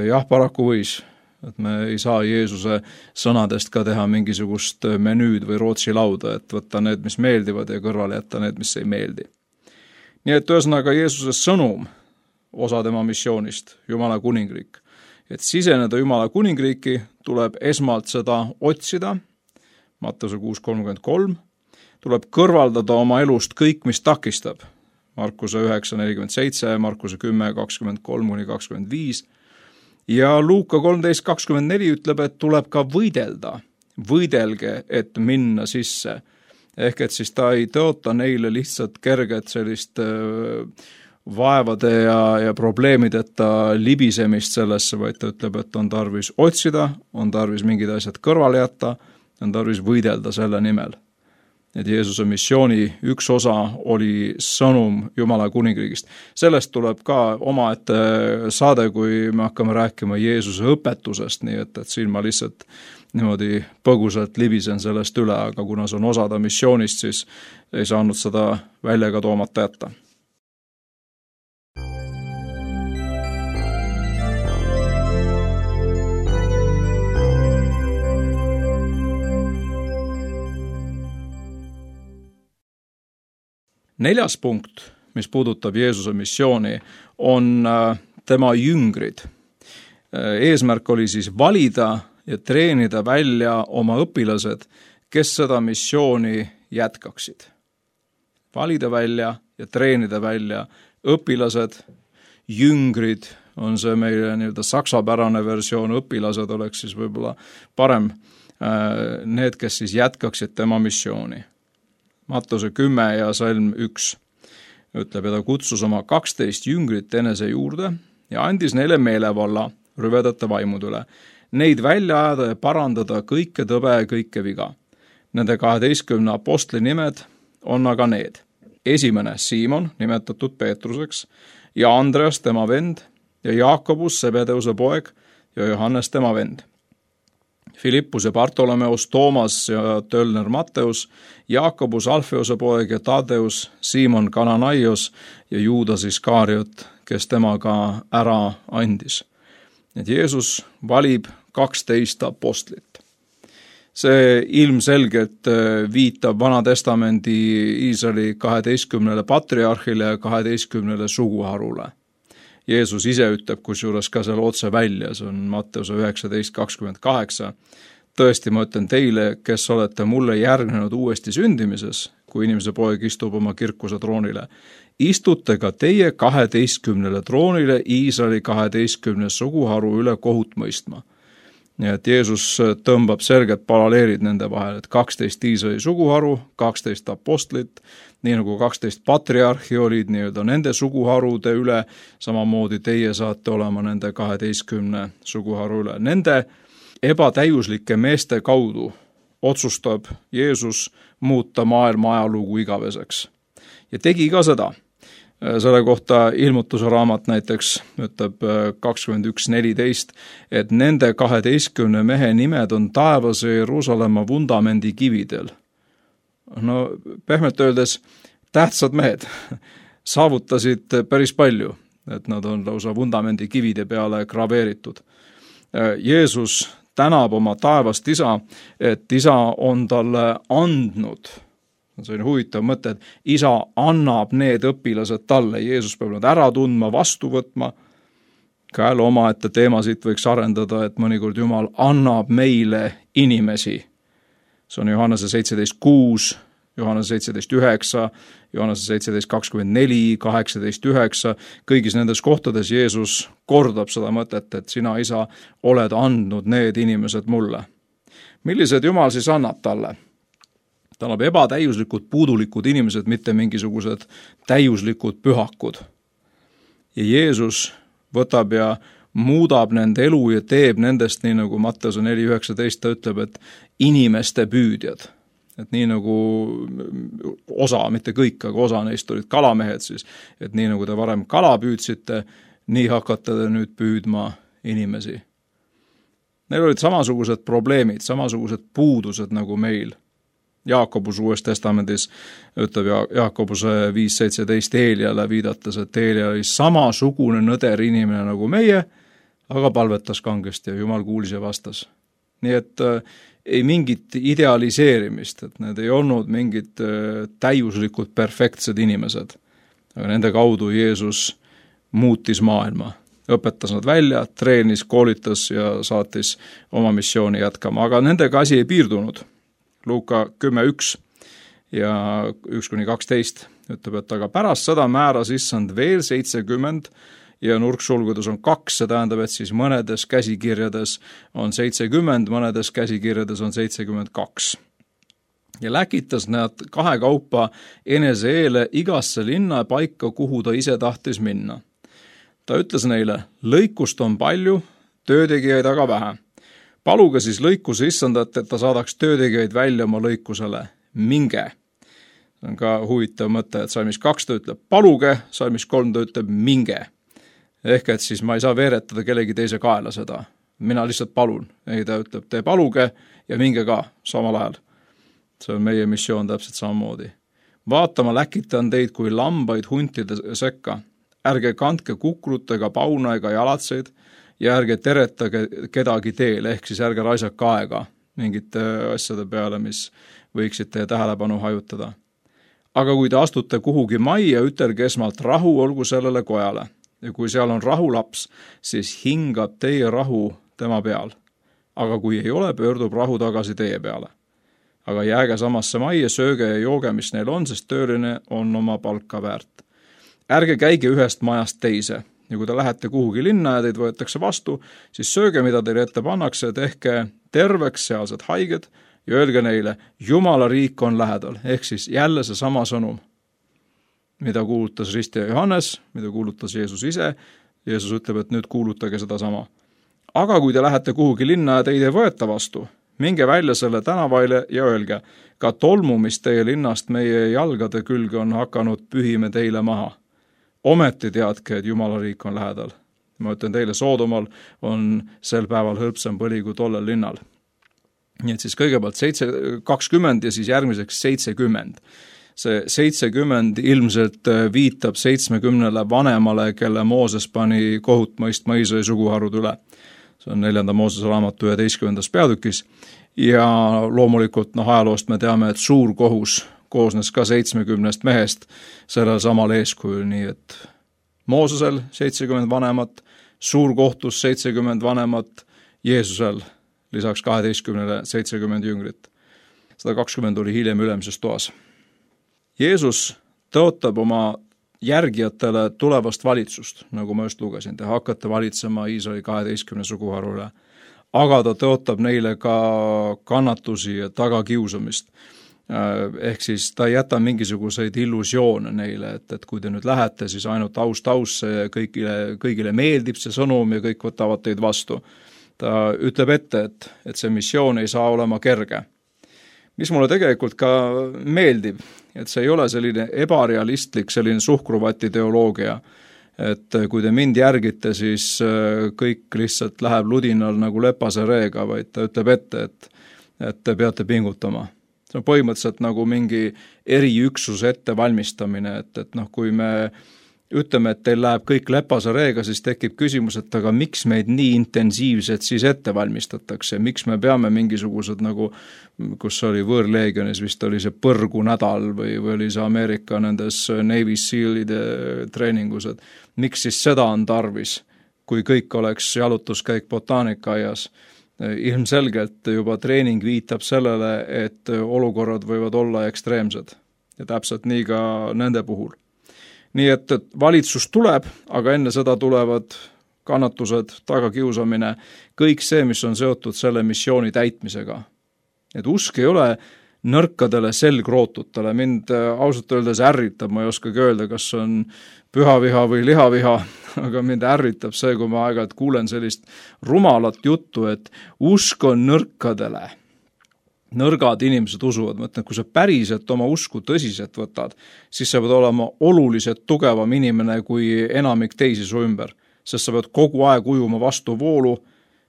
Jah, paraku võis. Et me ei saa Jeesuse sõnadest ka teha mingisugust menüüd või Rootsi lauda, et võtta need, mis meeldivad ja kõrvale jätta need, mis ei meeldi. Nii et ühesõnaga Jeesuse sõnum, osa tema missioonist, Jumala kuningriik. Et siseneda Jumala kuningriiki tuleb esmalt seda otsida, Matteuse 6.33, tuleb kõrvaldada oma elust kõik, mis takistab, Markuse 9.47, Markuse 10.23-25, ja Luuka 13.24 ütleb, et tuleb ka võidelda. Võidelge, et minna sisse. Ehk et siis ta ei tõota neile lihtsalt kerget sellist vaevade ja probleemideta libisemist sellesse, vaid ta ütleb, et on tarvis otsida, on tarvis mingid asjad kõrvale jätta, on tarvis võidelda selle nimel. Et Jeesuse missiooni üks osa oli sõnum Jumala kuningriigist. Sellest tuleb ka omaette saade, kui me hakkame rääkima Jeesuse õpetusest, nii et siin ma lihtsalt niimoodi põgusalt libisen sellest üle, aga kuna see on osada missioonist, siis ei saanud seda välja ka toomata jätta. Neljas punkt, mis puudutab Jeesuse missiooni, on tema jüngrid. Eesmärk oli siis valida ja treenida välja oma õpilased, kes seda missiooni jätkaksid. Valida välja ja treenida välja õpilased, jüngrid, on see meile nii-öelda saksapärane versioon, õpilased oleks siis võib-olla parem, need, kes siis jätkaksid tema missiooni. Matteuse 10 ja salm 1 ütleb, ja ta kutsus oma 12 jüngrit enese juurde ja andis neile meelevalla rüvedate vaimud üle. Neid välja ajada ja parandada kõike tõbe ja kõike viga. Nende 12 apostli nimed on aga need. Esimene Siimon, nimetatud Peetruseks, ja Andreas tema vend ja Jaakobus Sebedeuse poeg ja Johannes tema vend. Filippus ja Bartolomeus, Toomas ja Tölner Matteus, Jaakobus Alfeose poeg ja Tadeus, Siimon Kananaios ja Juudas Iskariot, kes temaga ära andis. Et Jeesus valib 12 apostlit. See ilmselgelt viitab Vana-testamendi Iisraeli 12 patriarhile ja 12 suguharule. Jeesus ise ütleb kusjuures ka seal otse välja, see on Matteuse 19.28. tõesti, ma ütlen teile, kes olete mulle järgnenud uuesti sündimises, kui inimese poeg istub oma kirkuse troonile, istute ka teie 12 troonile Iisraeli 12 suguharu üle kohut mõistma. Nii et Jeesus tõmbab selged paralleelid nende vahel, et 12 Iisraeli suguharu, 12 apostlit, nii nagu 12 patriarhi olid nii-öelda nende suguharude üle, samamoodi teie saate olema nende 12 suguharu üle. Nende ebatäiuslike meeste kaudu otsustab Jeesus muuta maailma ajalugu igaveseks. Ja tegi ka seda. Selle kohta Ilmutuse raamat näiteks ütleb 21.14, et nende 12 mehe nimed on taevas ja Jeruusalemma vundamendi kividel. No pehmelt öeldes tähtsad mehed saavutasid päris palju, et nad on lausa vundamendi kivide peale graveeritud. Jeesus tänab oma taevast isa, et isa on talle andnud. See on huvitav mõte, et isa annab need õpilased talle, Jeesus peab nad ära tundma, vastu võtma. Ka jälle omaette teema siit võiks arendada, et mõnikord Jumal annab meile inimesi. See on Johannese 17.6, Johannese 17.9, Johannese 17.24, 18.9. Kõigis nendes kohtades Jeesus kordab seda mõtet, et sina, isa, oled andnud need inimesed mulle. Millised Jumal siis annab talle? Ta annab ebatäiuslikud, puudulikud inimesed, mitte mingisugused täiuslikud pühakud. Ja Jeesus võtab ja muudab nende elu ja teeb nendest, nii nagu Matteuse 4.19 ta ütleb, et inimeste püüdjad. Et nii nagu osa, mitte kõik, aga osa neist olid kalamehed siis, et nii nagu te varem kala püüdsite, nii hakkate te nüüd püüdma inimesi. Neil olid samasugused probleemid, samasugused puudused nagu meil. Jaakobus Uues Testamendis ütleb Jaakobuse 5.17 Eeliale viidates, et Eelia oli samasugune nõder inimene nagu meie, aga palvetas kangesti ja Jumal kuulis ja vastas. Nii et ei mingit idealiseerimist, et need ei olnud mingid täiuslikud perfektsed inimesed. Aga nende kaudu Jeesus muutis maailma, õpetas nad välja, treenis, koolitas ja saatis oma missiooni jätkama, aga nendega asi ei piirdunud. Luuka 10.1 ja 1-12 ütleb, et aga pärast seda määras issand veel 70 ja nurksulgudes on 2, see tähendab, et siis mõnedes käsikirjades on 70, mõnedes käsikirjades on 72. Ja läkitas nad 2 kaupa enese eele igasse linna paika, kuhu ta ise tahtis minna. Ta ütles neile, lõikust on palju, töötegijaid aga vähe. Paluge siis lõikuse issandat, et ta saadaks töötegijaid välja oma lõikusele. Minge. See on ka huvitav mõte, et salmis 2 ta ütleb paluge, salmis 3 ta ütleb minge. Ehk et siis ma ei saa veeretada kellegi teise kaela seda. Mina lihtsalt palun. Ei, ta ütleb, te paluge ja minge ka samal ajal. See on meie missioon täpselt samamoodi. Vaatama läkitan teid kui lambaid huntide sekka. Ärge kandke kukrutega pauna ega jalatseid, ja ärge teretage kedagi teel, ehk siis ärge raisake aega mingite asjade peale, mis võiksid teie tähelepanu hajutada. Aga kui te astute kuhugi majja, ütelge esmalt rahu olgu sellele kojale. Ja kui seal on rahulaps, siis hingab teie rahu tema peal. Aga kui ei ole, pöördub rahu tagasi teie peale. Aga jääge samasse majja, sööge ja jooge, mis neil on, sest tööline on oma palka väärt. Ärge käige ühest majast teise. Ja kui te lähete kuhugi linna ja teid võetakse vastu, siis sööge, mida teile ette pannakse, tehke terveks sealsed haiged ja öelge neile, Jumala riik on lähedal, ehk siis jälle see sama sõnum, mida kuulutas ristija Johannes, mida kuulutas Jeesus ise. Jeesus ütleb, et nüüd kuulutage seda sama. Aga kui te lähete kuhugi linna ja teid ei võeta vastu, minge välja selle tänavaile ja öelge, ka tolmu, mis teie linnast meie jalgade külge on hakanud, pühime teile maha. Ometi teadke, et Jumala riik on lähedal. Ma ütlen teile, Soodomal on sel päeval hõlpsam põli kui tollel linnal. Nii et siis kõigepealt 20 ja siis järgmiseks 70. See 70 ilmselt viitab 70 vanemale, kelle Mooses pani kohut mõistma Iisraeli suguharud üle. See on 4. Moosese raamatu 11. peatükis. Ja loomulikult ajaloost me teame, et suur kohus koosnes ka 70 mehest sellel samal eeskujul, nii et Moosesel 70 vanemat, suurkohtus 70 vanemat, Jeesusel lisaks 12-le 70 jüngrit. 120 oli hiljem ülemises toas. Jeesus tõotab oma järgijatele tulevast valitsust, nagu ma just lugesin, te hakkate valitsema Iisraeli 12 suguharu üle. Aga ta tõotab neile ka kannatusi ja tagakiusamist. Ehk siis ta ei jäta mingisuguseid illusioone neile, et kui te nüüd lähete, siis ainult aust ja kõigile meeldib see sõnum ja kõik võtavad teid vastu. Ta ütleb ette, et see missioon ei saa olema kerge. Mis mulle tegelikult ka meeldib, et see ei ole selline ebarealistlik, selline suhkruvati teoloogia, et kui te mind järgite, siis kõik lihtsalt läheb ludinal nagu lepase reega, vaid ta ütleb ette, et te peate pingutama. See on põhimõtteliselt nagu mingi eriüksuse ettevalmistamine, et kui me ütleme, et teil läheb kõik lepase reega, siis tekib küsimus, et aga miks meid nii intensiivselt siis ette valmistatakse, miks me peame mingisugused nagu, kus oli võõrleegionis, vist oli see põrgu nädal või oli see Ameerika nendes Navy Sealide treeningus, et miks siis seda on tarvis, kui kõik oleks jalutuskäik botaanikaaias. Ilmselgelt juba treening viitab sellele, et olukorrad võivad olla ekstreemsed ja täpselt nii ka nende puhul. Nii et valitsus tuleb, aga enne seda tulevad kannatused, tagakiusamine, kõik see, mis on seotud selle missiooni täitmisega. Et usk ei ole nõrkadele selgrootutele, mind ausalt öeldes ärritab, ma ei oskagi öelda, kas on pühaviha või lihaviha, aga mind ärritab see, kui ma aeg-ajalt kuulen sellist rumalat juttu, et usk on nõrkadele. Nõrgad inimesed usuvad, mõtlen, kui sa päriselt oma usku tõsiselt võtad, siis sa pead olema oluliselt tugevam inimene kui enamik teisi su ümber, sest sa pead kogu aeg ujuma vastu voolu,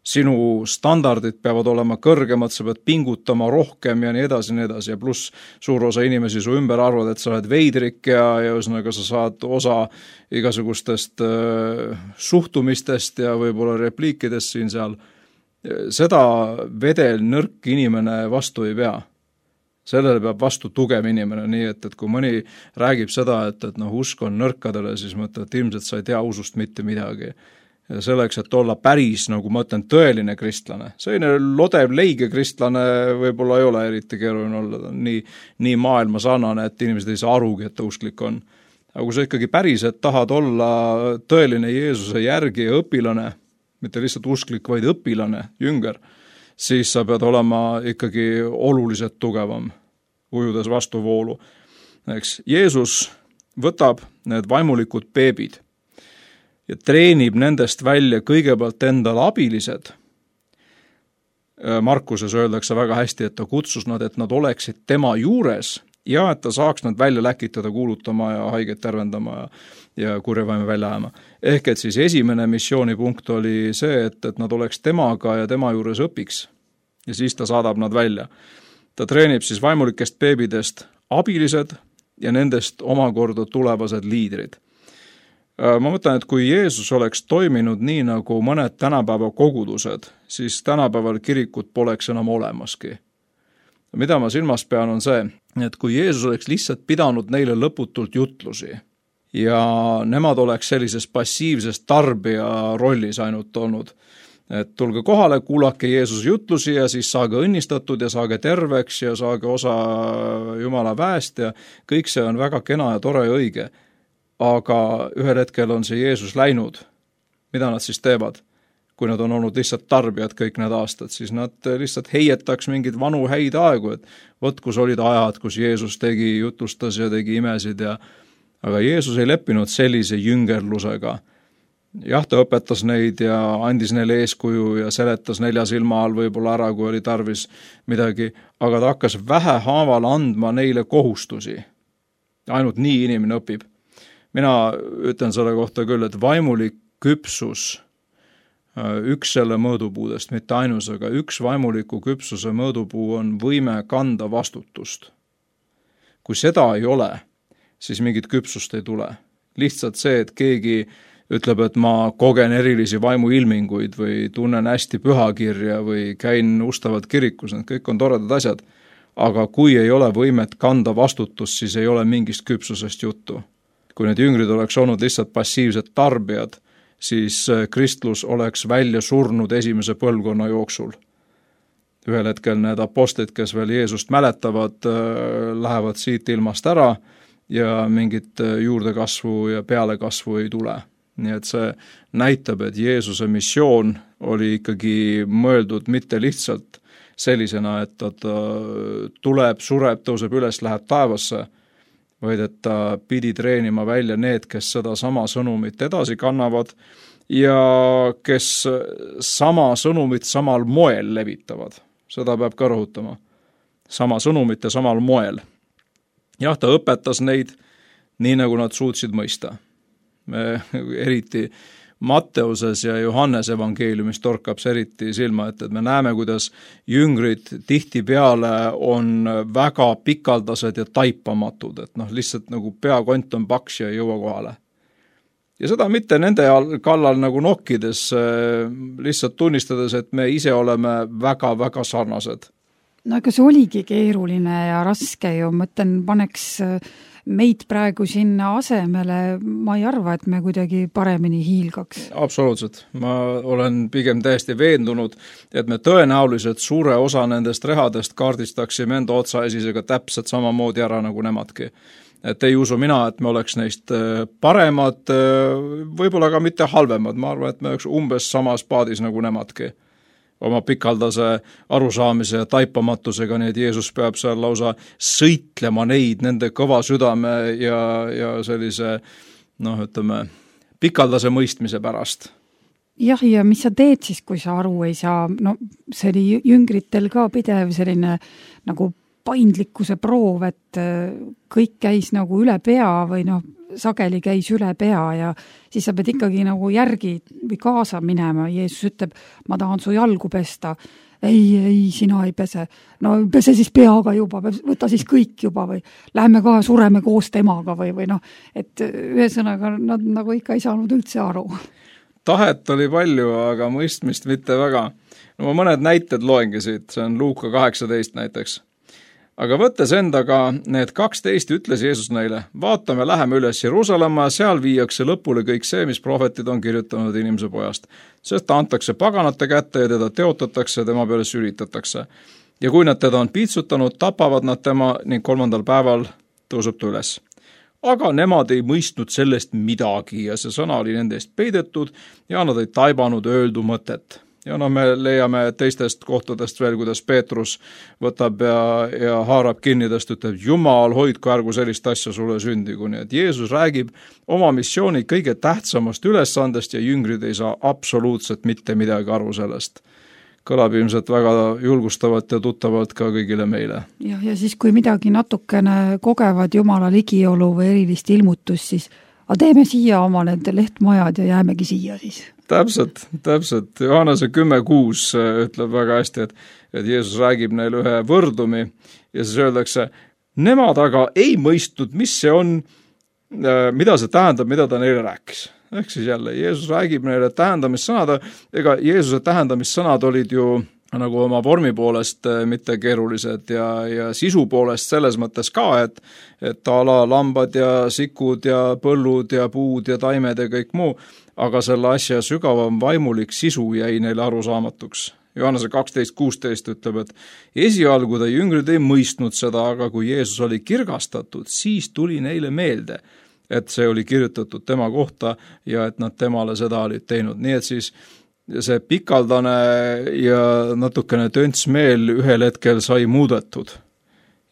sinu standardid peavad olema kõrgemad, sa pead pingutama rohkem ja nii edasi ja pluss suur osa inimesi su ümber arvad, et sa oled veidrik ja ühesõnaga sa saad osa igasugustest suhtumistest ja võib-olla repliikidest siin seal. Seda vedel nõrk inimene vastu ei pea. Sellele peab vastu tugev inimene, nii et kui mõni räägib seda, et usk on nõrkadele, siis mõtled, et ilmselt sa ei tea usust mitte midagi. Ja selleks, et olla päris, nagu ma ütlen, tõeline kristlane. Selline lodev leige kristlane võib-olla ei ole eriti keeruline olla, nii maailma sarnane, et inimesed ei saa arugi, et ta usklik on. Aga kui sa ikkagi päriselt tahad olla tõeline Jeesuse järgi ja õpilane, mitte lihtsalt usklik, vaid õpilane, jünger, siis sa pead olema ikkagi oluliselt tugevam, ujudes vastu voolu. Eks Jeesus võtab need vaimulikud beebid ja treenib nendest välja kõigepealt endale abilised. Markuses öeldakse väga hästi, et ta kutsus nad, et nad oleksid tema juures ja et ta saaks nad välja läkitada, kuulutama ja haiget tervendama ja kurjavaime välja ajama. Ehk et siis esimene missioonipunkt oli see, et nad oleks temaga ja tema juures õpiks ja siis ta saadab nad välja. Ta treenib siis vaimulikest beebidest abilised ja nendest omakorda tulevased liidrid. Ma mõtlen, et kui Jeesus oleks toiminud nii nagu mõned tänapäeva kogudused, siis tänapäeval kirikut poleks enam olemaski. Mida ma silmas pean on see, et kui Jeesus oleks lihtsalt pidanud neile lõputult jutlusi ja nemad oleks sellises passiivses tarbija rollis ainult olnud, et tulge kohale, kuulake Jeesuse jutlusi ja siis saage õnnistatud ja saage terveks ja saage osa Jumala väest ja kõik see on väga kena ja tore ja õige. Aga ühel hetkel on see Jeesus läinud. Mida nad siis teevad? Kui nad on olnud lihtsalt tarbijad kõik need aastad, siis nad lihtsalt heietaks mingid vanu häid aegu, et võt, kus olid ajad, kus Jeesus tegi, jutlustas ja tegi imesid aga Jeesus ei leppinud sellise jüngerlusega. Jah, ta õpetas neid ja andis neile eeskuju ja seletas 4 silma all võib-olla ära, kui oli tarvis midagi, aga ta hakkas vähehaaval andma neile kohustusi. Ainult nii inimene õpib. Mina ütlen selle kohta küll, et vaimulik küpsus, üks selle mõõdupuudest, mitte ainus, aga üks vaimuliku küpsuse mõõdupuu on võime kanda vastutust. Kui seda ei ole, siis mingit küpsust ei tule. Lihtsalt see, et keegi ütleb, et ma kogen erilisi vaimuilminguid või tunnen hästi pühakirja või käin ustavalt kirikus, need kõik on toredad asjad. Aga kui ei ole võimet kanda vastutust, siis ei ole mingist küpsusest juttu. Kui need jüngrid oleks olnud lihtsalt passiivsed tarbijad, siis kristlus oleks välja surnud esimese põlvkonna jooksul. ühel hetkel need apostlid, kes veel Jeesust mäletavad, lähevad siit ilmast ära ja mingit juurdekasvu ja pealekasvu ei tule. Nii et see näitab, et Jeesuse missioon oli ikkagi mõeldud mitte lihtsalt sellisena, et ta tuleb, sureb, tõuseb üles, läheb taevasse, vaid et ta pidi treenima välja need, kes seda sama sõnumit edasi kannavad ja kes sama sõnumit samal moel levitavad. Seda peab ka rõhutama. Sama sõnumit ja samal moel. Jah, ta õpetas neid nii, nagu nad suutsid mõista. Eriti Matteuses ja Johannes evangeeliumis torkab see eriti silma, et me näeme, kuidas jüngrid tihtipeale on väga pikaldased ja taipamatud, et lihtsalt nagu peakont on paks ja ei jõua kohale. Ja seda mitte nende kallal nagu nokkides, lihtsalt tunnistades, et me ise oleme väga-väga sarnased. No ega see oligi keeruline ja raske ju, mõtlen, paneks meid praegu sinna asemele, ma ei arva, et me kuidagi paremini hiilgaks. Absoluutselt. Ma olen pigem täiesti veendunud, et me tõenäoliselt suure osa nendest rehadest kaardistaksime enda otsaesisega täpselt samamoodi ära nagu nemadki. Et ei usu mina, et me oleks neist paremad, võib-olla ka mitte halvemad. Ma arvan, et me oleks umbes samas paadis nagu nemadki. Oma pikaldase arusaamise ja taipamatusega, nii et Jeesus peab seal lausa sõitlema neid nende kõva südame ja sellise, pikaldase mõistmise pärast. Jah, ja mis sa teed siis, kui sa aru ei saa? No see oli jüngritel ka pidev selline nagu paindlikkuse proov, et kõik käis nagu üle pea või sageli käis üle pea ja siis sa pead ikkagi nagu järgi või kaasa minema. Jeesus ütleb, ma tahan su jalgu pesta. Ei, sina ei pese. No pese siis peaga juba, võta siis kõik juba või läheme ka, sureme koos temaga või et ühesõnaga nad nagu ikka ei saanud üldse aru. Tahet oli palju, aga mõistmist mitte väga. Ma mõned näited loengi siit, see on Luuka 18 näiteks. Aga võttes endaga need 12 ütles Jeesus neile, vaatame, läheme üles Jeruusalemma ja seal viiakse lõpule kõik see, mis prohvetid on kirjutanud inimese pojast. Sest ta antakse paganate kätte ja teda teotatakse ja tema peale sülitatakse. Ja kui nad teda on piitsutanud, tapavad nad tema ning 3. päeval tõuseb ta üles. Aga nemad ei mõistnud sellest midagi ja see sõna oli nende eest peidetud ja nad ei taibanud öeldu mõtet. Ja me leiame teistest kohtadest veel, kuidas Peetrus võtab ja haarab kinnidest, ütleb, Jumal, hoidku ärgu sellist asja sulle sündigu. Nii et Jeesus räägib oma missiooni kõige tähtsamast ülesandest ja jüngrid ei saa absoluutselt mitte midagi aru sellest. Kõlab ilmselt väga julgustavalt ja tuttavalt ka kõigile meile. Ja siis kui midagi natukene kogevad Jumala ligiolu või erilist ilmutust, siis teeme siia oma need lehtmajad ja jäämegi siia siis. Täpselt. Johannese 10.6 ütleb väga hästi, et Jeesus räägib neile ühe võrdumi ja siis öeldakse, nemad aga ei mõistnud, mis see on, mida see tähendab, mida ta neile rääkis. Ehk siis jälle, Jeesus räägib neile tähendamissõnad, ega Jeesuse tähendamissõnad olid ju nagu oma vormi poolest mitte keerulised ja sisu poolest selles mõttes ka, et ala lambad ja sikud ja põllud ja puud ja taimed ja kõik muu, aga selle asja sügavam vaimulik sisu jäi neile arusaamatuks. Johannese 12.16 ütleb, et esialgu ta jüngrid ei mõistnud seda, aga kui Jeesus oli kirgastatud, siis tuli neile meelde, et see oli kirjutatud tema kohta ja et nad temale seda olid teinud. Nii et siis see pikaldane ja natukene tönts meel ühel hetkel sai muudetud.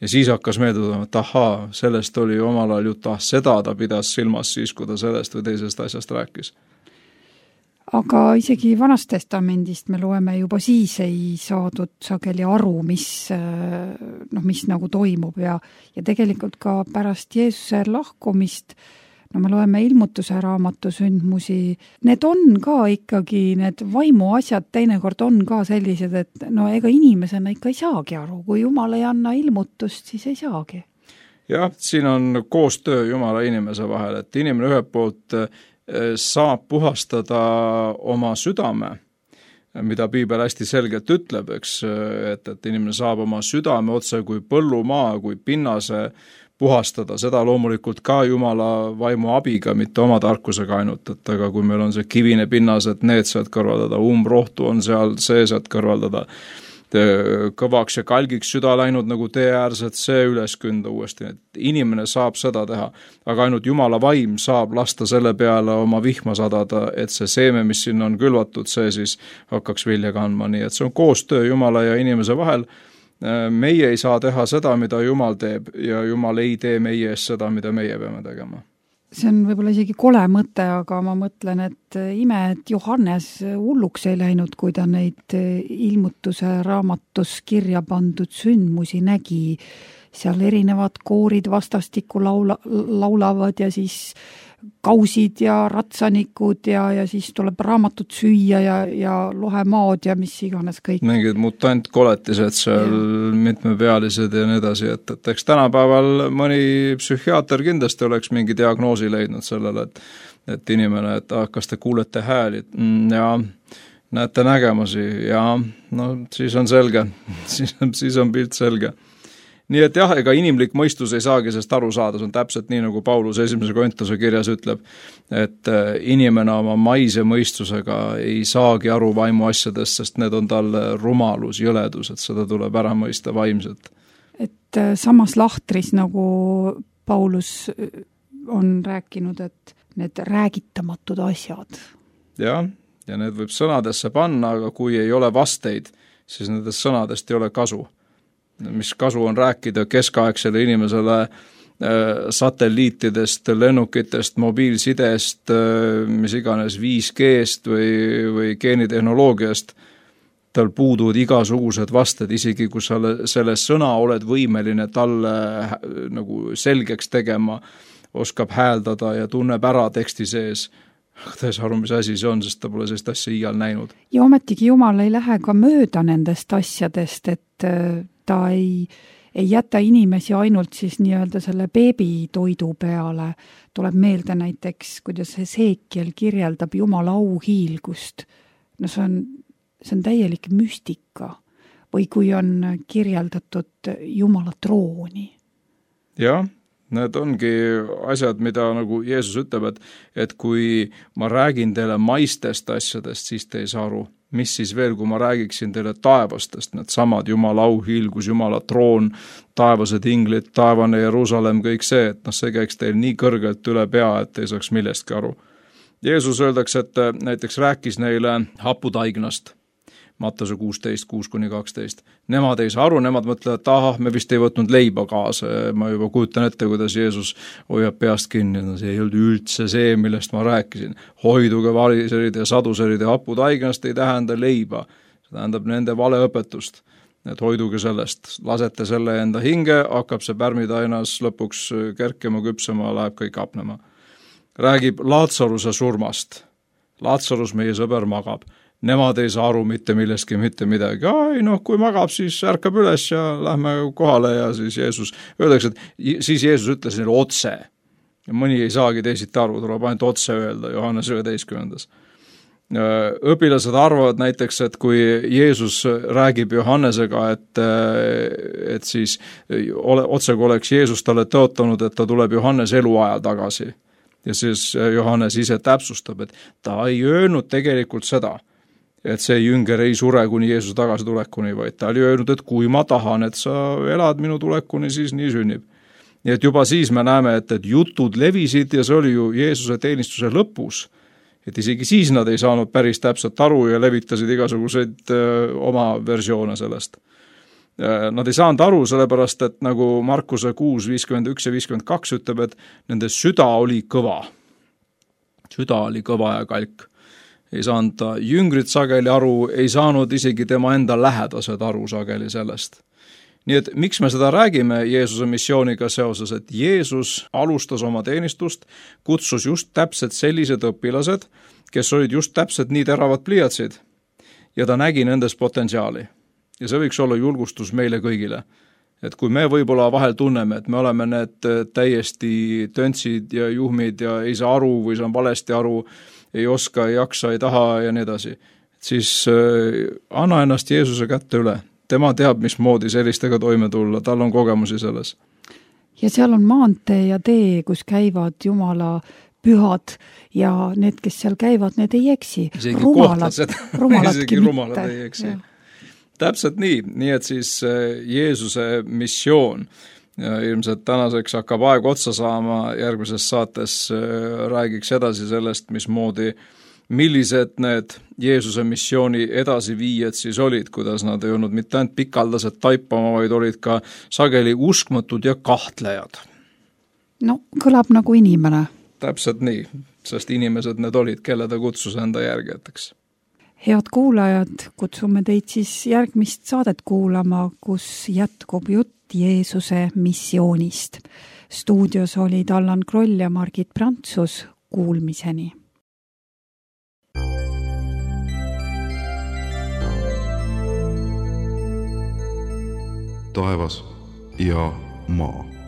Ja siis hakkas meelde tulema, et ahaa, sellest oli omal ajal jutt, seda ta pidas silmas siis, kui ta sellest või teisest asjast rääkis. Aga isegi Vanast Testamendist me loeme juba siis ei saadud sageli aru, mis nagu toimub ja tegelikult ka pärast Jeesuse lahkumist me loeme ilmutuse raamatu sündmusi, need on ka ikkagi, need vaimu asjad teinekord on ka sellised, et ega inimesena ikka ei saagi aru, kui Jumal ei anna ilmutust, siis ei saagi. Jah, siin on koostöö Jumala inimese vahel, et inimene ühelt poolt saab puhastada oma südame, mida piibel hästi selgelt ütleb, eks, et inimene saab oma südame otse kui põllumaa, kui pinnase puhastada, seda loomulikult ka Jumala vaimu abiga, mitte oma tarkusega ainult, et aga kui meil on see kivine pinnas, et need sealt kõrvaldada, umbrohtu on seal see sealt kõrvaldada kõvaks ja kalgiks süda läinud nagu tee äärsed, see üles künda uuesti. Et inimene saab seda teha, aga ainult Jumala vaim saab lasta selle peale oma vihma sadada, et see seeme, mis sinna on külvatud, see siis hakkaks vilja kandma. Nii et see on koostöö Jumala ja inimese vahel. Meie ei saa teha seda, mida Jumal teeb ja Jumal ei tee meie eest seda, mida meie peame tegema. See on võib-olla isegi kole mõte, aga ma mõtlen, et ime, et Johannes hulluks ei läinud, kui ta neid ilmutuse raamatus kirja pandud sündmusi nägi. Seal erinevad koorid vastastikku laulavad ja siis kausid ja ratsanikud ja siis tuleb raamatut süüa ja lohemaad ja mis iganes kõik. Mingid mutantkoletised seal, mitmepealised ja nii edasi, et eks tänapäeval mõni psühhiaater kindlasti oleks mingi diagnoosi leidnud sellele, et inimene, et kas te kuulete hääli ja näete nägemusi ja no siis on selge, siis on pilt selge. Nii et jah, ega inimlik mõistus ei saagi sest aru saada, see on täpselt nii, nagu Paulus 1. Korintuse kirjas ütleb, et inimene oma maise mõistusega ei saagi aru vaimu asjadest, sest need on talle rumalus, jõledus, et seda tuleb ära mõista vaimselt. Et samas lahtris, nagu Paulus on rääkinud, et need räägitamatud asjad. Ja need võib sõnadesse panna, aga kui ei ole vasteid, siis nendest sõnadest ei ole kasu. Mis kasu on rääkida keskaegsele inimesele satelliitidest, lennukitest, mobiilsidest, mis iganes 5G-st või geenitehnoloogiast. Tal puuduvad igasugused vasted, isegi kui sa selle sõna oled võimeline talle nagu selgeks tegema, oskab hääldada ja tunneb ära teksti sees. Ta ei saa aru, mis asi see on, sest ta pole sellist asja iial näinud. Ja ometigi Jumal ei lähe ka mööda nendest asjadest, et ta ei jäta inimesi ainult siis nii-öelda selle beebitoidu peale. Tuleb meelde näiteks, kuidas Esekiel kirjeldab Jumala auhiilgust. No see on täielik müstika. Või kui on kirjeldatud Jumala trooni. Jah. Need ongi asjad, mida nagu Jeesus ütleb, et kui ma räägin teile maistest asjadest, siis te ei saa aru. Mis siis veel, kui ma räägiksin teile taevastest, need samad Jumala auhiilgus, Jumala troon, taevased inglid, taevane Jerusalem, kõik see, et see käiks teil nii kõrgelt üle pea, et ei saaks millestki aru. Jeesus öeldakse, et näiteks rääkis neile haputaignast. Mattuse 16:6-12. Nemad ei saa aru, nemad mõtlevad, et me vist ei võtnud leiba kaasa. Ma juba kujutan ette, kuidas Jeesus hoiab peast kinni. No, see ei olnud üldse see, millest ma rääkisin. Hoiduge variserid ja saduserid ja haputaignast ei tähenda leiba. See tähendab nende valeõpetust. Et hoiduge sellest. Lasete selle enda hinge, hakkab see pärmitainas lõpuks kerkema, küpsema, läheb kõik apnema. Räägib Laatsaruse surmast. Laatsarus, meie sõber, magab. Nemad ei saa aru mitte millestki, mitte midagi. Kui magab, siis ärkab üles ja lähme kohale ja siis Jeesus, öeldakse, et siis Jeesus ütles neile otse. Ja mõni ei saagi teisiti aru, tuleb ainult otse öelda, Johannes 11. Õpilased arvavad näiteks, et kui Jeesus räägib Johannesega, et siis otsega oleks Jeesus talle tõotanud, et ta tuleb Johannes eluajal tagasi. Ja siis Johannes ise täpsustab, et ta ei öelnud tegelikult seda, et see jünger ei sure kuni Jeesuse tagasi tulekuni, vaid ta oli öelnud, et kui ma tahan, et sa elad minu tulekuni, siis nii sünnib. Nii et juba siis me näeme, et jutud levisid ja see oli ju Jeesuse teenistuse lõpus. Et isegi siis nad ei saanud päris täpselt aru ja levitasid igasuguseid oma versioone sellest. Nad ei saanud aru sellepärast, et nagu Markuse 6:51 ja 52 ütleb, et nende süda oli kõva. Süda oli kõva ja kalk. Ei saanud ta jüngrid sageli aru, ei saanud isegi tema enda lähedased aru sageli sellest. Nii et miks me seda räägime Jeesuse missiooniga seoses, et Jeesus alustas oma teenistust, kutsus just täpselt sellised õpilased, kes olid just täpselt nii teravad pliiatsid ja ta nägi nendes potentsiaali. Ja see võiks olla julgustus meile kõigile. Et kui me võib-olla vahel tunneme, et me oleme need täiesti töntsid ja juhmid ja ei saa aru või saan valesti aru, ei oska, ei jaksa, ei taha ja nii edasi, siis anna ennast Jeesuse kätte üle. Tema teab, mismoodi sellistega toime tulla, tal on kogemusi selles. Ja seal on maantee ja tee, kus käivad Jumala pühad ja need, kes seal käivad, need ei eksi. Isegi rumalad ei eksi. Täpselt nii et siis Jeesuse missioon ja ilmselt tänaseks hakkab aeg otsa saama, järgmises saates räägiks edasi sellest, millised need Jeesuse missiooni edasiviijad siis olid, kuidas nad ei olnud mitte ainult pikaldased taipama, vaid olid ka sageli uskmatud ja kahtlejad. No, kõlab nagu inimene. Täpselt nii, sest inimesed need olid, kelle ta kutsus enda järgijateks. Head kuulajad, kutsume teid siis järgmist saadet kuulama, kus jätkub jutt Jeesuse missioonist. Stuudios olid Allan Kroll ja Margit Prantsus. Kuulmiseni. Taevas ja maa.